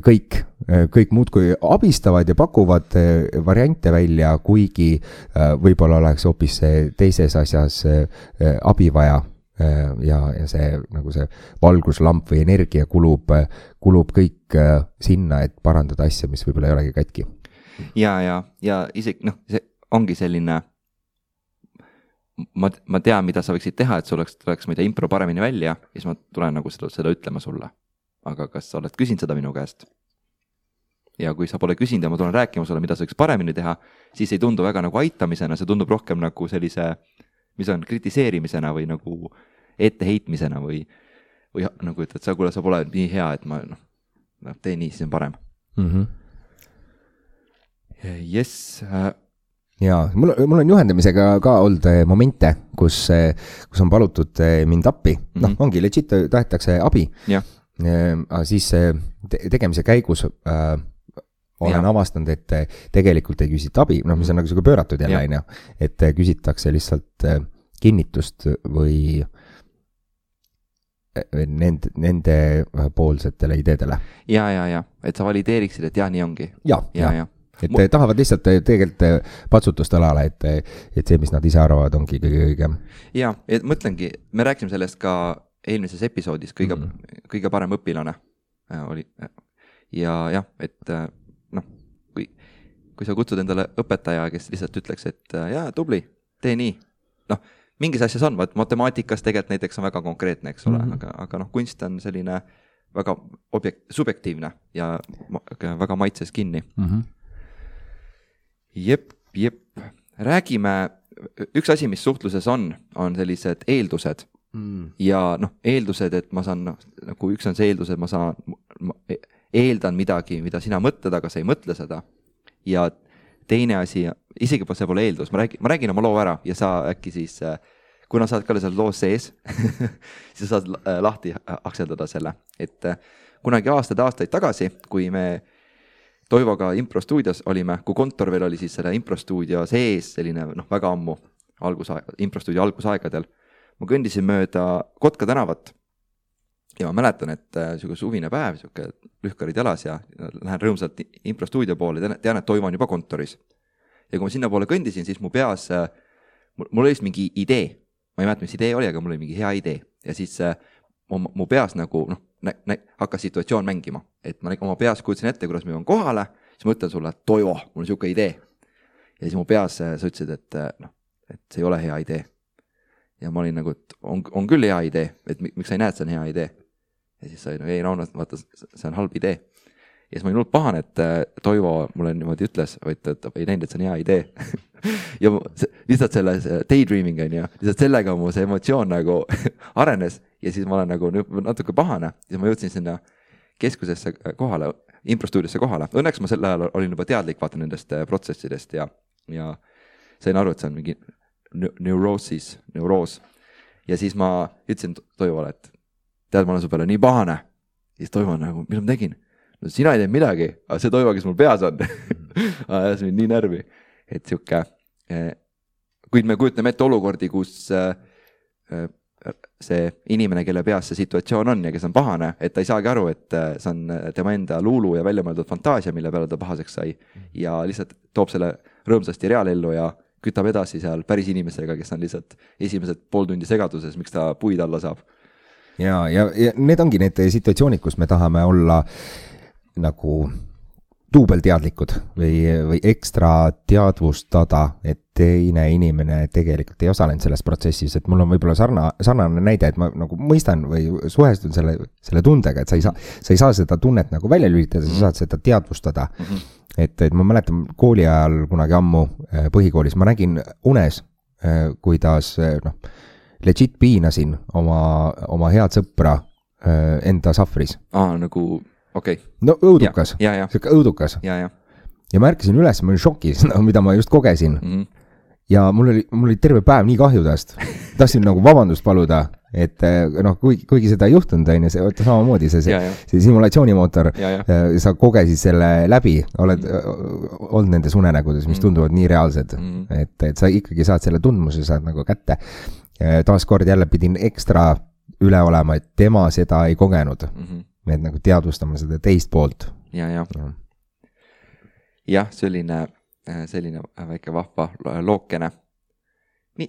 kõik muud kui abistavad ja pakuvad variante välja, kuigi võib-olla oleks hoopis teises asjas abi vaja ja see, nagu see valguslamp või energia kulub kõik sinna, et parandada asja, mis võib-olla ei olegi katki. Ja isegi, see ongi selline ma tean, mida sa võiksid teha, et sul oleks mida impro paremini välja ja siis ma tulen nagu seda ütlema sulle. Aga kas sa oled küsinud seda minu käest? Ja kui sa pole küsinud ja ma tulen rääkima sulle, mida sa võiks paremini teha, siis ei tundu väga nagu aitamisena, see tundub rohkem nagu sellise, mis on kritiseerimisena või nagu etteheitmisena või nagu ütled, sa pole nii hea, et ma tee nii, siis on parem. Yes. Ja mul on juhendamisega ka olnud momente, kus on palutud mind appi. Ongi legit, tahetakse abi. Siis tegemise käigus olen avastanud, et tegelikult ei küsita abi, mis on nagu pööratud jälle, et küsitakse lihtsalt kinnitust või nende poolsetele ideedele. Ja, et sa valideeriksid, et nii ongi. Ja. et tahavad lihtsalt tegelikult patsutust õlale, et see, mis nad ise arvavad, ongi kõige õigem. Ja, et mõtlengi, me rääksime sellest ka eelmises episoodis, kõige parem õpilane oli. Ja jah, et noh, kui sa kutsud endale õpetaja, kes lihtsalt ütleks, et jaa, tubli, tee nii. Noh, mingis asjas on, matemaatikas tegelikult näiteks on väga konkreetne, eks ole, aga noh, kunst on selline väga subjektiivne ja väga maitses kinni. Jep. Räägime, üks asi, mis suhtluses on sellised eeldused ja noh, eeldused, et ma saan, nagu üks on see eeldus, et ma eeldan midagi, mida sina mõtled, aga sa ei mõtle seda. Ja teine asi, isegi see pole eeldus, ma räägin oma loo ära ja sa äkki siis, kuna sa oled ka seal loos sees, siis saad lahti akseldada selle. Et kunagi aastaid tagasi, kui me Toivoga improstuudios olime, kui kontor veel oli siis selle improstuudio sees, selline väga ammu improstuudio algusaegadel, ma kõndisin mööda Kotka tänavat ja ma mäletan, et suvine päev, lühkarid jalas ja lähen rõõmsalt improstuudio poole, tean, et Toivo on juba kontoris. Ja kui ma sinna poole kõndisin, siis mu peas, mul oli mingi idee, ma ei mäleta, mis idee oli, aga mul oli mingi hea idee ja siis mu peas nagu hakkas situatsioon mängima, et ma oma peas kujutasin ette, kuidas ma jõuan kohale, siis ma ütlen sulle, et Toivo, mul on siuke idee. Ja siis mu peas sa ütlesid, et see ei ole hea idee. Ja ma olin nagu, et on küll hea idee, et miks sa ei näe, et see on hea idee. Ja siis sa ei Rauno, vaata, see on halb idee. Ja siis ma olin pahane, et Toivo mulle niimoodi ütles, et ei näinud, et see on hea idee. Ja lihtsalt selle daydreaming on ja lihtsalt sellega mu see emotsioon nagu arenes ja siis ma olen nagu natuke pahane ja siis ma jõudsin sinna keskusesse kohale, improstuudiosse kohale. Õnneks ma sel ajal olin juba teadlik vaata nendest protsessidest ja sain aru, et see on mingi neuroos. Ja siis ma ütlesin Toivole, et tead, ma olen su peale nii pahane. Ja siis Toivo on nagu, mis ma tegin? No sina ei teinud midagi, aga see Toivo, kes mul peas on, ajas mind nii närvi. Et siuke, kuid me kujutame ette olukordi, kus see inimene, kelle peas see situatsioon on ja kes on pahane, et ta ei saagi aru, et see on tema enda luulu ja väljamõeldud fantaasia, mille peale ta pahaseks sai ja lihtsalt toob selle rõõmsasti reaalellu ja kütab edasi seal päris inimesega, kes on lihtsalt esimesed pool tundi segaduses, miks ta puid alla saab. Ja need ongi need situatsioonid, kus me tahame olla nagu duubelteadlikud või ekstra teadvustada, et teine inimene tegelikult ei osalenud selles protsessis, et mul on võib-olla sarnane näide, et ma nagu mõistan või suhestun selle tundega, et sa ei saa seda tunnet nagu välja lülitada, sa saad seda teadvustada. Et ma mäletan kooli ajal kunagi ammu põhikoolis, ma nägin unes, kuidas legit piinasin oma head sõpra enda sahvris. Nagu... Okay. No õudukas, siuke õudukas. Ja ma ärkasin üles, ma olin šokis, mida ma just kogesin. Ja mul oli terve päev nii kahju tast. Tahtsin nagu vabandust paluda, et kuigi seda ei juhtunud, see samamoodi see simulatsioonimootor, sa kogesid selle läbi, oled olnud nendes unenägudes, mis tunduvad nii reaalsed, et sa ikkagi saad selle tundmuse, saad nagu kätte. Taaskord jälle pidin ekstra üle olema, et tema seda ei kogenud. Et nagu teadvustama seda teist poolt. Jah, selline väike vahva lookene.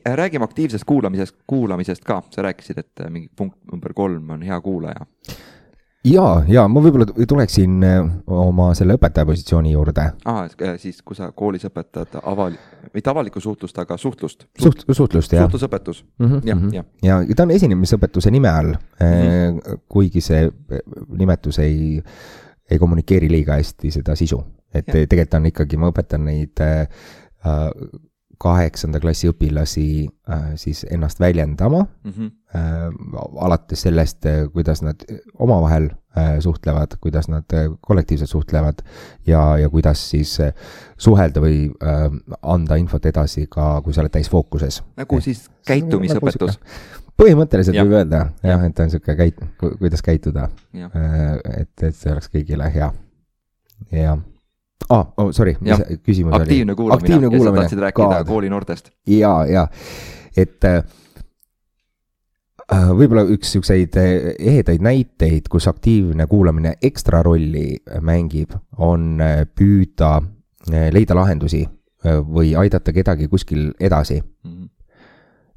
Räägime aktiivsest kuulamisest ka. Sa rääkisid, et mingi punkt number 3 on hea kuulaja. Ja ma võib-olla tuleksin oma selle õpetaja positsiooni juurde. Siis kui sa koolis õpetad mitte avalikku suhtlust, aga suhtlust. Suhtlust, jah. Suhtlusõpetus. Ja ta on esinemisõpetuse nime all, kuigi see nimetus ei kommunikeeri liiga hästi seda sisu. Et tegelikult on ikkagi, ma õpetan neid 8. klassi õpilasi siis ennast väljendama, alates sellest, kuidas nad omavahel suhtlevad, kuidas nad kollektiivselt suhtlevad ja kuidas siis suhelda või anda infot edasi ka, kui sa oled täis fookuses. Nagu siis käitumisõpetus. Põhimõtteliselt võib öelda, et ta on siuke kuidas käituda, et see oleks kõigile hea. Ja sorry, mis küsimus oli? Aktiivne kuulamine. Ja sa tahtsid rääkida kooli noortest. Ja. Et võib-olla üks siukseid ehedaid näiteid, kus aktiivne kuulamine ekstra rolli mängib, on püüda leida lahendusi või aidata kedagi kuskil edasi.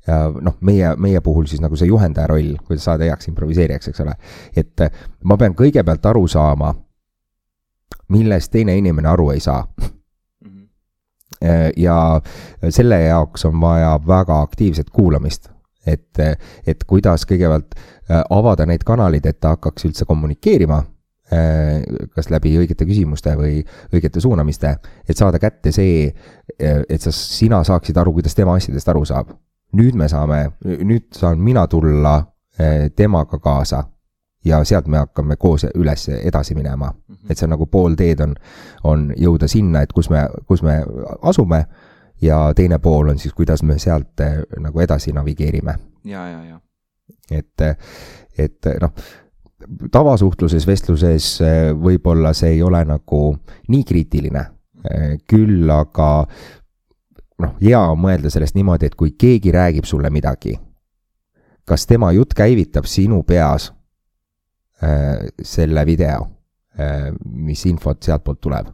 Ja noh, meie puhul siis nagu see juhendaja roll, kuidas saada heaks improviseerijaks, eks ole. Et ma pean kõigepealt aru saama, millest teine inimene aru ei saa. Ja selle jaoks on vaja väga aktiivset kuulamist. Et kuidas kõigepealt avada neid kanalid, et ta hakkaks üldse kommunikeerima, kas läbi õigete küsimuste või õigete suunamiste, et saada kätte see, et sina saaksid aru, kuidas tema asjadest aru saab. Nüüd saan mina tulla temaga kaasa ja sealt me hakkame koos üles edasi minema. Et see nagu pool teed on jõuda sinna, et kus me asume ja teine pool on siis, kuidas me sealt nagu edasi navigeerime. Ja. Et noh, tavasuhtluses, vestluses võib-olla see ei ole nagu nii kriitiline, küll aga noh, hea on mõelda sellest niimoodi, et kui keegi räägib sulle midagi, kas tema jutt käivitab sinu peas selle video, mis infot sealt poolt tuleb.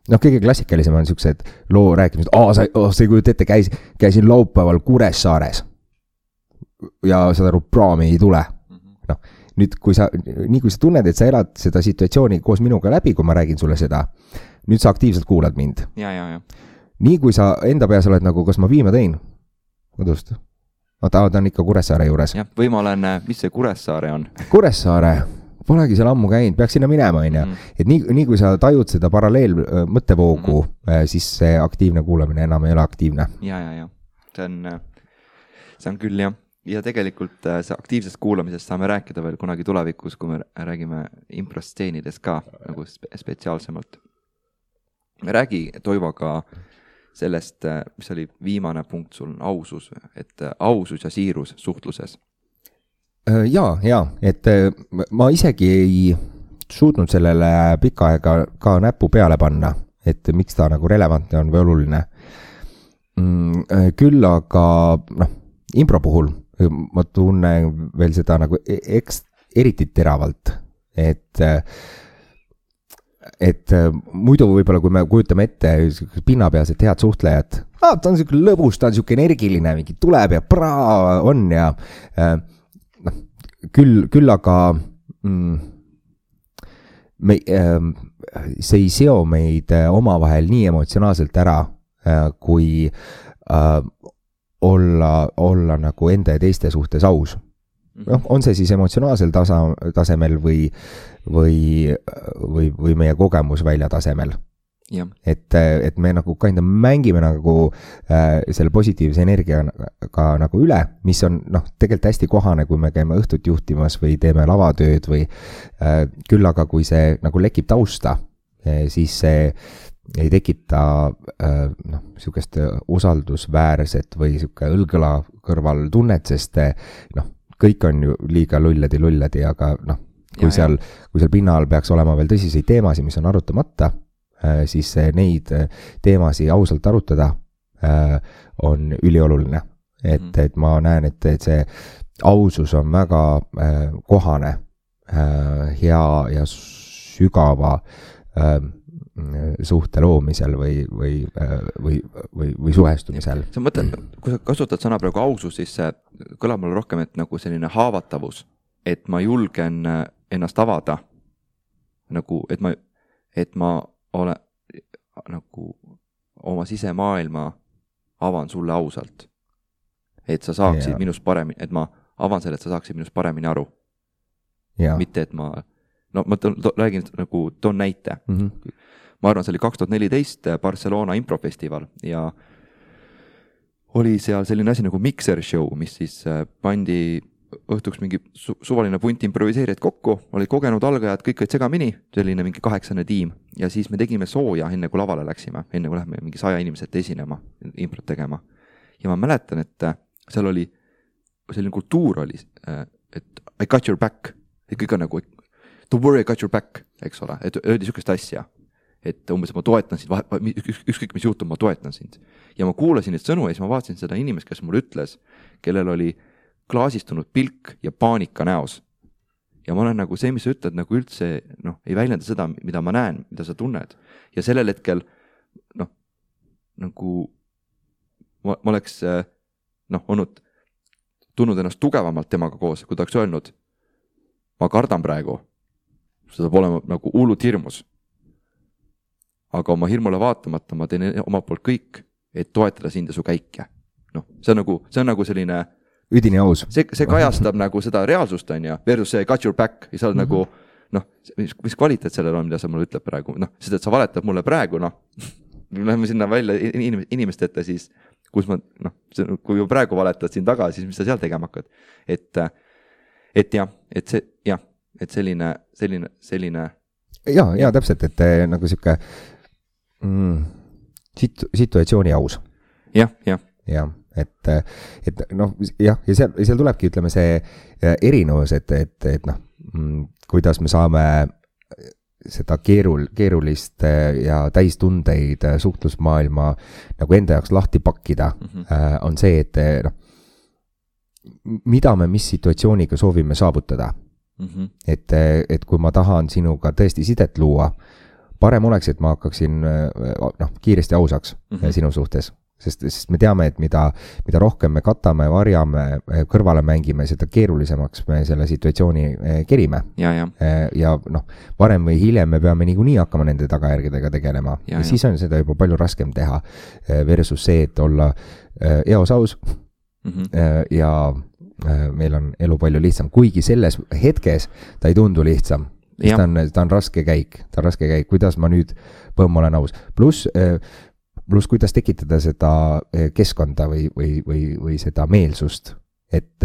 Noh, kõige klassikalisem on niisugused loo rääkimised, sa ei kujuta ette, käisin laupäeval Kuressaares ja saad aru, praami ei tule. Noh, nüüd kui sa tunned, et sa elad seda situatsiooni koos minuga läbi, kui ma räägin sulle seda, nüüd sa aktiivselt kuulad mind. Ja. Nii kui sa enda peas oled nagu, kas ma viima tõin? Kodust. Ta on ikka Kuressaare juures. Ja, või ma olen, mis see Kuressaare on? Kuressaare, polegi seal ammu käinud, peaks sinna minema. Et nii kui sa tajud seda paralleel mõttevoogu, siis see aktiivne kuulamine enam ei ole aktiivne. Ja. See on küll, jah. Ja tegelikult see aktiivsest kuulamisest saame rääkida veel kunagi tulevikus, kui me räägime improsteenidest ka nagu spetsiaalsemalt. Räägi Toivoga sellest, mis oli viimane punkt sul, ausus, et ausus ja siirus suhtluses. Ja, et ma isegi ei suutnud sellele pikka aega ka näppu peale panna, et miks ta nagu relevantne on või oluline. Küll aga impro puhul ma tunnen veel seda nagu eriti teravalt, et muidu võib-olla, kui me kujutame ette pinnapealsed head suhtlejad, ta on niisugune lõbus, ta on niisugune energiline, mingi tuleb ja on ja küll aga see ei seo meid omavahel nii emotsionaalselt ära, kui olla nagu enda ja teiste suhtes aus. On see siis emotsionaalsel tasemel või meie kogemusvälja tasemel. Ja. Et me nagu mängime nagu selle positiivse energiaga nagu üle, mis on tegelikult hästi kohane, kui me käime õhtut juhtimas või teeme lavatööd või küll aga kui see nagu lekib tausta, siis see ei tekita niisugust usaldusväärset või niisugune õlgõla kõrval tunnet, sest kõik on ju liiga lulladi, aga kui seal pinna all peaks olema veel tõsiseid teemasid, mis on arutamata, siis neid teemasid ausalt arutada on ülioluline. Et ma näen, et see ausus on väga kohane, hea ja sügava suhte loomisel või suhestumisel. Sa mõtled, kui sa kasutad sõna praegu ausus, siis see kõlab mulle rohkem, et nagu selline haavatavus, et ma julgen ennast avada, nagu, et ma olen nagu oma sisemaailma avan sulle ausalt. Et sa saaksid minust paremini, et ma avan selle, et sa saaksid minust paremini aru. Mitte, et ma räägin nagu, toon näite. Ma arvan, see oli 2014 Barcelona improfestival ja oli seal selline asi nagu mixer show, mis siis pandi õhtuks mingi suvaline punt improviseerijad kokku, olid kogenud algajad, kõik olid segamini, selline mingi 8 tiim ja siis me tegime sooja enne kui lavale läksime, enne kui lähme mingi 100 inimeselt esinema, improt tegema. Ja ma mäletan, et seal oli selline kultuur oli, et I got your back, et kõik on nagu don't worry, I got your back, eks ole, et öeldi niisugust asja, et umbes ma toetan sind, ükskõik mis juhtub, ma toetan sind. Ja ma kuulasin neid sõnu ja siis ma vaatasin seda inimest, kes mulle ütles, kellel oli klaasistunud pilk ja paanika näos. Ja ma olen nagu see, mis sa ütled, nagu üldse ei väljenda seda, mida ma näen, mida sa tunned. Ja sellel hetkel noh, nagu ma oleks tundnud ennast tugevamalt temaga koos, kui ta oleks öelnud, ma kardan praegu, see saab olema nagu hullult hirmus. Aga oma hirmule vaatamata ma teen oma poolt kõik, et toetada sind ja su käike. Noh, see on nagu selline üdini aus. See kajastab nagu seda reaalsust on ja versus see got your back ja sa oled nagu mis kvaliteet sellel on, mida sa mulle ütleb praegu, seda, et sa valetad mulle praegu, lähme sinna välja inimeste ette siis, kus ma, kui praegu valetad siin taga, siis mis sa seal tegema hakkad. Et selline. Ja täpselt, et nagu siuke situatsiooni aus. Ja, et ja seal tulebki, ütleme, see erinevus, et kuidas me saame seda keerulist ja täistundeid suhtlusmaailma nagu enda jaoks lahti pakkida, on see, et mida me mis situatsiooniga soovime saavutada. Et kui ma tahan sinuga tõesti sidet luua, parem oleks, et ma hakkaksin kiiresti ausaks sinu suhtes. Sest me teame, et mida rohkem me katame, varjame, kõrvale mängime, seda keerulisemaks me selle situatsiooni kerime. Ja varem või hiljem me peame niikuinii hakkama nende tagajärgedega tegelema. Ja siis on seda juba palju raskem teha versus see, et olla eos aus ja meil on elu palju lihtsam. Kuigi selles hetkes ta ei tundu lihtsam. Ta on raske käik. Kuidas ma nüüd olen aus. Plus kuidas tekitada seda keskkonda või seda meelsust, et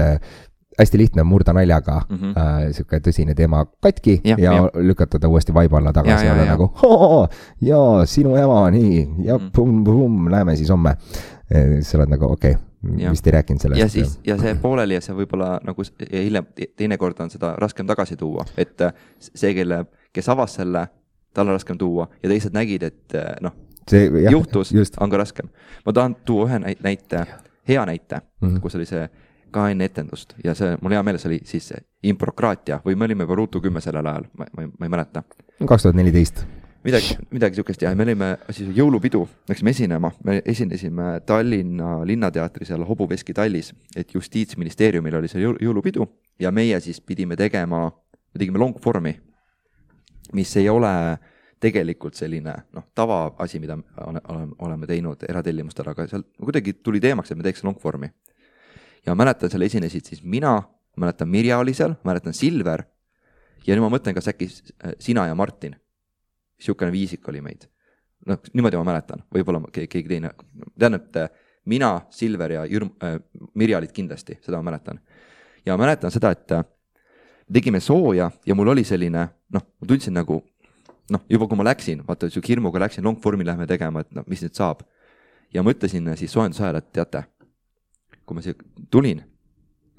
hästi lihtne murda naljaga siuke tõsine teema katki ja lükata ta uuesti vaiba alla tagasi ja nagu ja sinu ema, nii, ja näeme siis homme. Sa oled nagu okei, vist ei rääkinud sellest. Ja see pooleli ja see võib-olla nagu hiljem teine kord on seda raskem tagasi tuua, et see, kes avas selle, tal on raskem tuua ja teised nägid, et juhtus, on ka raskem. Ma tahan tuua ühe näite, hea näite, kus oli see ka enne etendust ja see, mul hea meeles oli siis improkraatia või me olime juba Ruutu 10 sellel ajal, ma ei mäleta. 2014. Midagi sihukest ja me olime siis jõulupidu, läksime esinema, me esinesime Tallinna Linnateatri seal Hobuveski tallis, et Justiitsministeeriumil oli see jõulupidu ja meie siis me tegime longformi, mis ei ole tegelikult selline tavaasi, mida oleme teinud eratellimustel, aga seal kuidagi tuli teemaks, et me teeks longformi. Ja mäletan, seal esinesid siis mina, mäletan Mirja oli seal, mäletan Silver ja nüüd ma mõtlen, kas äkki sina ja Martin. Siukene viisik oli meid. Niimoodi ma mäletan, võib-olla keegi teine. Tean, et mina, Silver ja Mirja olid kindlasti, seda ma mäletan. Ja ma mäletan seda, et tegime sooja ja mul oli selline, ma tundsin nagu juba kui ma läksin, vaata, hirmuga läksin, longformi lähme tegema, et mis nüüd saab. Ja mõtlesin siis soojendusajal, et teate, kui ma siia tulin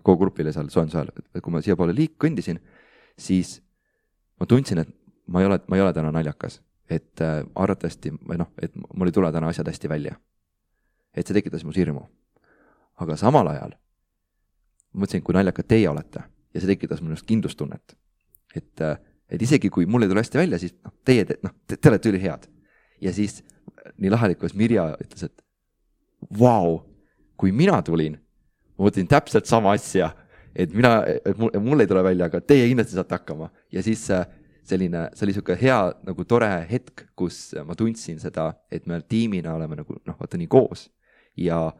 kogu grupile seal soojendusajal, et kui ma siia poole kõndisin, siis ma tundsin, et ma ei ole täna naljakas. Et arvatavasti, et mul ei tule täna asjad hästi välja. Et see tekitas mu hirmu. Aga samal ajal mõtlesin, kui naljakad teie olete ja see tekitas minust kindlustunnet. Et isegi kui mul ei tule hästi välja, siis te olete üli head. Ja siis nii lahalikus Mirja ütles, et vau, kui mina tulin, ma mõtlesin täpselt sama asja, et mul ei tule välja, aga teie kindlasti saate hakkama. Ja siis see oli siuke hea nagu tore hetk, kus ma tundsin seda, et me tiimina oleme nagu vaata nii koos ja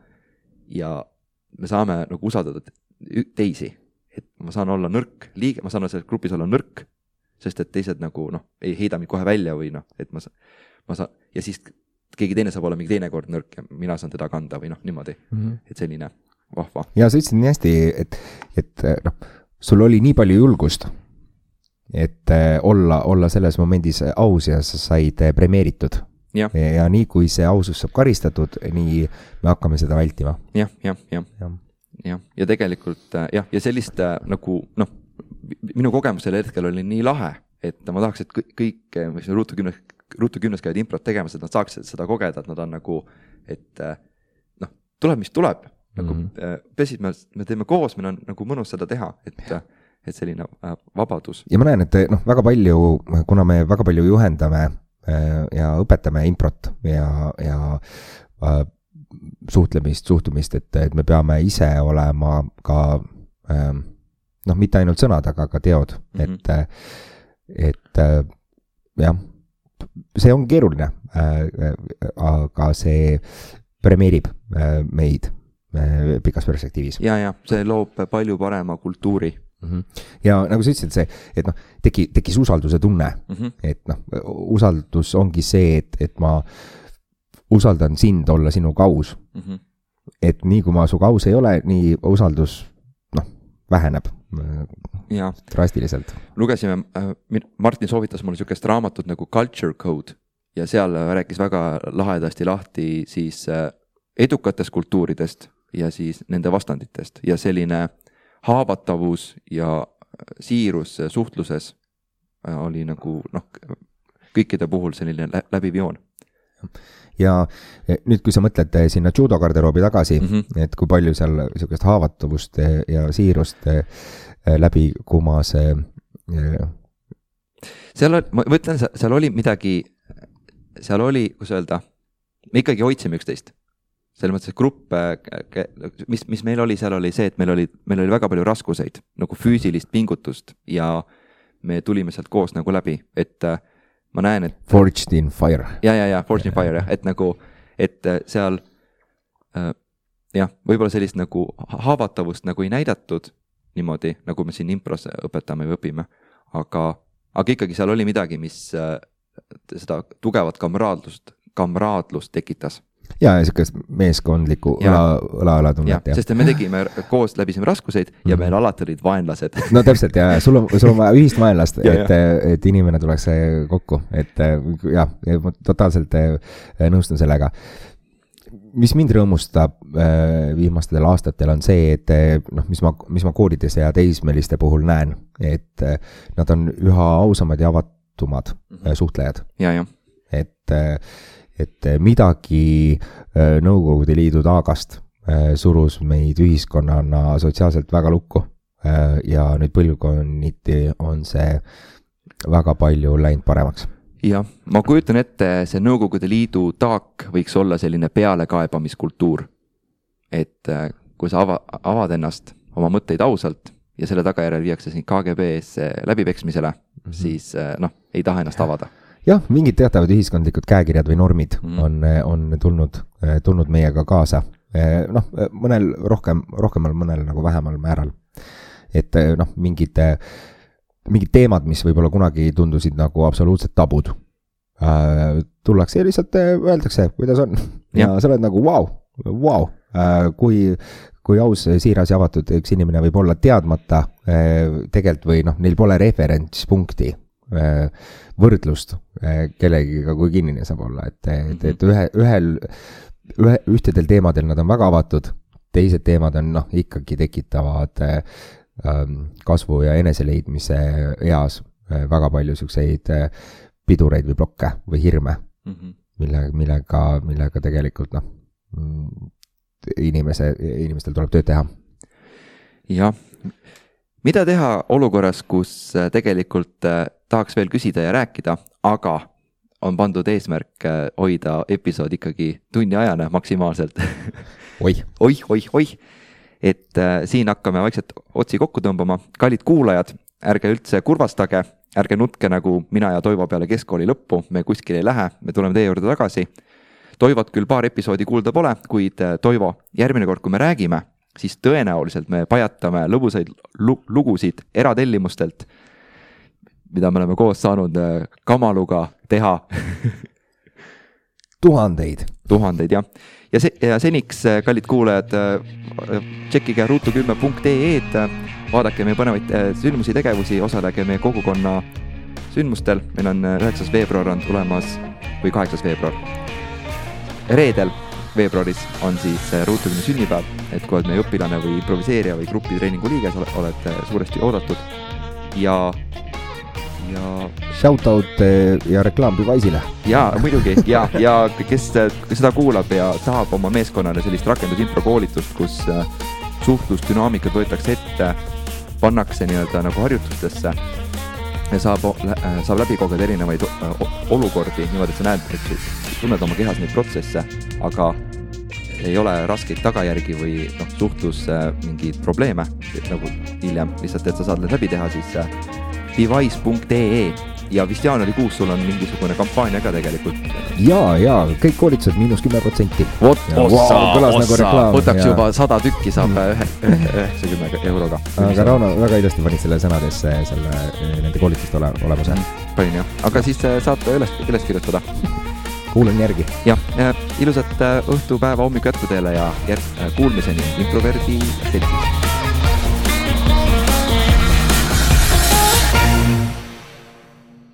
me saame nagu usaldada teisi. Et ma saan olla nõrk liige, ma saan selles grupis olla nõrk, sest et teised nagu ei heida mind kohe välja või et ma saan, ja siis keegi teine saab olla mingi teine kord nõrk ja mina saan teda kanda või niimoodi, et selline vahva. Ja sa ütlesid nii hästi, et sul oli nii palju julgust, et olla selles momendis aus ja sa said premeeritud. Ja nii kui see ausus saab karistatud, nii me hakkame seda vältima. Ja tegelikult ja sellist nagu minu kogemus selle hetkel oli nii lahe, et ma tahaks, et kõik, mis Ruutu 10 käivad improt tegemas, et nad saaks seda kogeda, et nad on nagu, et tuleb, mis tuleb. Nagu, pesid me teeme koos, meil on nagu mõnus seda teha, et selline vabadus. Ja ma näen, et väga palju, kuna me väga palju juhendame ja õpetame improt ja suhtumist, et me peame ise olema ka mitte ainult sõnad, aga ka teod, et jah, see on keeruline, aga see premeerib meid pikas perspektiivis. Ja, see loob palju parema kultuuri. Ja nagu sa ütlesid, et tekkis usalduse tunne, et usaldus ongi see, et ma usaldan sind olla sinu kaus. Et nii kui ma su kaus ei ole, nii usaldus väheneb drastiliselt. Lugesime, Martin soovitas mulle niisugust raamatut nagu Culture Code ja seal rääkis väga lahedasti lahti siis edukatest kultuuridest ja siis nende vastanditest ja selline haavatavus ja siirus suhtluses oli nagu kõikide puhul selline läbiv joon. Ja nüüd, kui sa mõtled sinna judo garderoobi tagasi, et kui palju seal niisugust haavatavust ja siirust läbi kumas. Ma mõtlen, seal oli midagi, seal oli, kus öelda, me ikkagi hoidsime üksteist. Selles mõttes, et grupp, mis meil oli, seal oli see, et meil oli väga palju raskuseid, nagu füüsilist pingutust ja me tulime sealt koos nagu läbi, et ma näen, et Forged in Fire. Ja, Forged in Fire, et nagu, et seal võib-olla sellist nagu haavatavust nagu ei näidatud niimoodi, nagu me siin impros õpetame või õpime, aga ikkagi seal oli midagi, mis seda tugevat kamraadlust tekitas. Ja niisugust meeskondlikku õla tunnet. Sest me tegime koos läbisime raskuseid ja meil alati olid vaenlased. No täpselt, ja sul on vaja ühist vaenlast, et inimene tuleks kokku. Et ma totaalselt nõustun sellega. Mis mind rõõmustab viimastel aastatel on see, et mis ma koolides ja teismeliste puhul näen, et nad on üha ausamad ja avatumad suhtlejad. Ja. Et midagi Nõukogude Liidu taagast surus meid ühiskonnana sotsiaalselt väga lukku ja nüüd põlvkonniti on see väga palju läinud paremaks. Ja, ma kujutan ette, see Nõukogude Liidu taak võiks olla selline pealekaebamiskultuur, et kui sa avad ennast oma mõtteid ausalt ja selle tagajärjel viiakse siin KGB-s läbipeksmisele, siis ei taha ennast avada. Jah, mingid teatavad ühiskondlikud käekirjad või normid on tulnud meiega kaasa. Mõnel rohkemal, mõnel nagu vähemal määral. Et mingid teemad, mis võib-olla kunagi tundusid nagu absoluutselt tabud. Tullakse ja lihtsalt öeldakse, kuidas on. Ja sa oled nagu wow. Kui aus, siiras ja avatud üks inimene võib olla teadmata tegelikult või neil pole referentspunkti võrdlust kellegiga, kui kinnine saab olla, et ühtedel teemadel nad on väga avatud, teised teemad on ikkagi tekitavad kasvu ja eneseleidmise eas väga palju selliseid pidureid või blokke või hirme, millega tegelikult inimestel tuleb tööd teha. Jah, mida teha olukorras, kus tegelikult tahaks veel küsida ja rääkida, aga on pandud eesmärk hoida episood ikkagi tunni ajana maksimaalselt. Oih. Et siin hakkame vaikselt otsi kokku tõmbama. Kallid kuulajad, ärge üldse kurvastage, ärge nutke nagu mina ja Toivo peale keskkooli lõppu, me kuskil ei lähe, me tuleme teie juurde tagasi. Toivot küll paar episoodi kuulda pole, kuid Toivo, järgmine kord, kui me räägime, siis tõenäoliselt me pajatame lõbusaid lugusid eratellimustelt, mida me oleme koos saanud Kamaluga teha. Tuhandeid, jah. Ja seniks, kallid kuulajad, tšekkige ruutu10.ee-d, vaadake meie põnevaid sündmusi, tegevusi, osalege meie kogukonna sündmustel. Meil on 9. veebruar on tulemas, või 8. veebruar. Reedel veebruaris on siis Ruutu10 sünnipäev, et kui oled meie õpilane või improviseerija või grupitreeningu liige, oled suuresti oodatud. Ja shoutout ja reklaam Device'ile. Ja muidugi, ja kes seda kuulab ja tahab oma meeskonnale sellist rakendusimpro koolitust, kus suhtlusdünaamikad võetakse ette, pannakse nii-öelda nagu harjutustesse saab läbi kogeda erinevaid olukordi niimoodi, et sa näed, et tunned oma kehas neid protsesse, aga ei ole raskeid tagajärgi või suhtlus mingeid probleeme nagu hiljem, lihtsalt, et sa saad läbi teha siis device.ee ja vist jaanuarikuus sul on mingisugune kampaania ka tegelikult. Ja kõik koolitused -10%. Võtaks juba 100 tükki saab 90 euroga. Aga Rauno väga ilusti panid selle sõnadesse nende koolituste olemuse. Panin jah, aga siis saab üles kirjutada. Kuulen järgi. Jah, ilusat õhtupäeva hommiku jätku teile ja kuulmiseni Improverdi seltsis.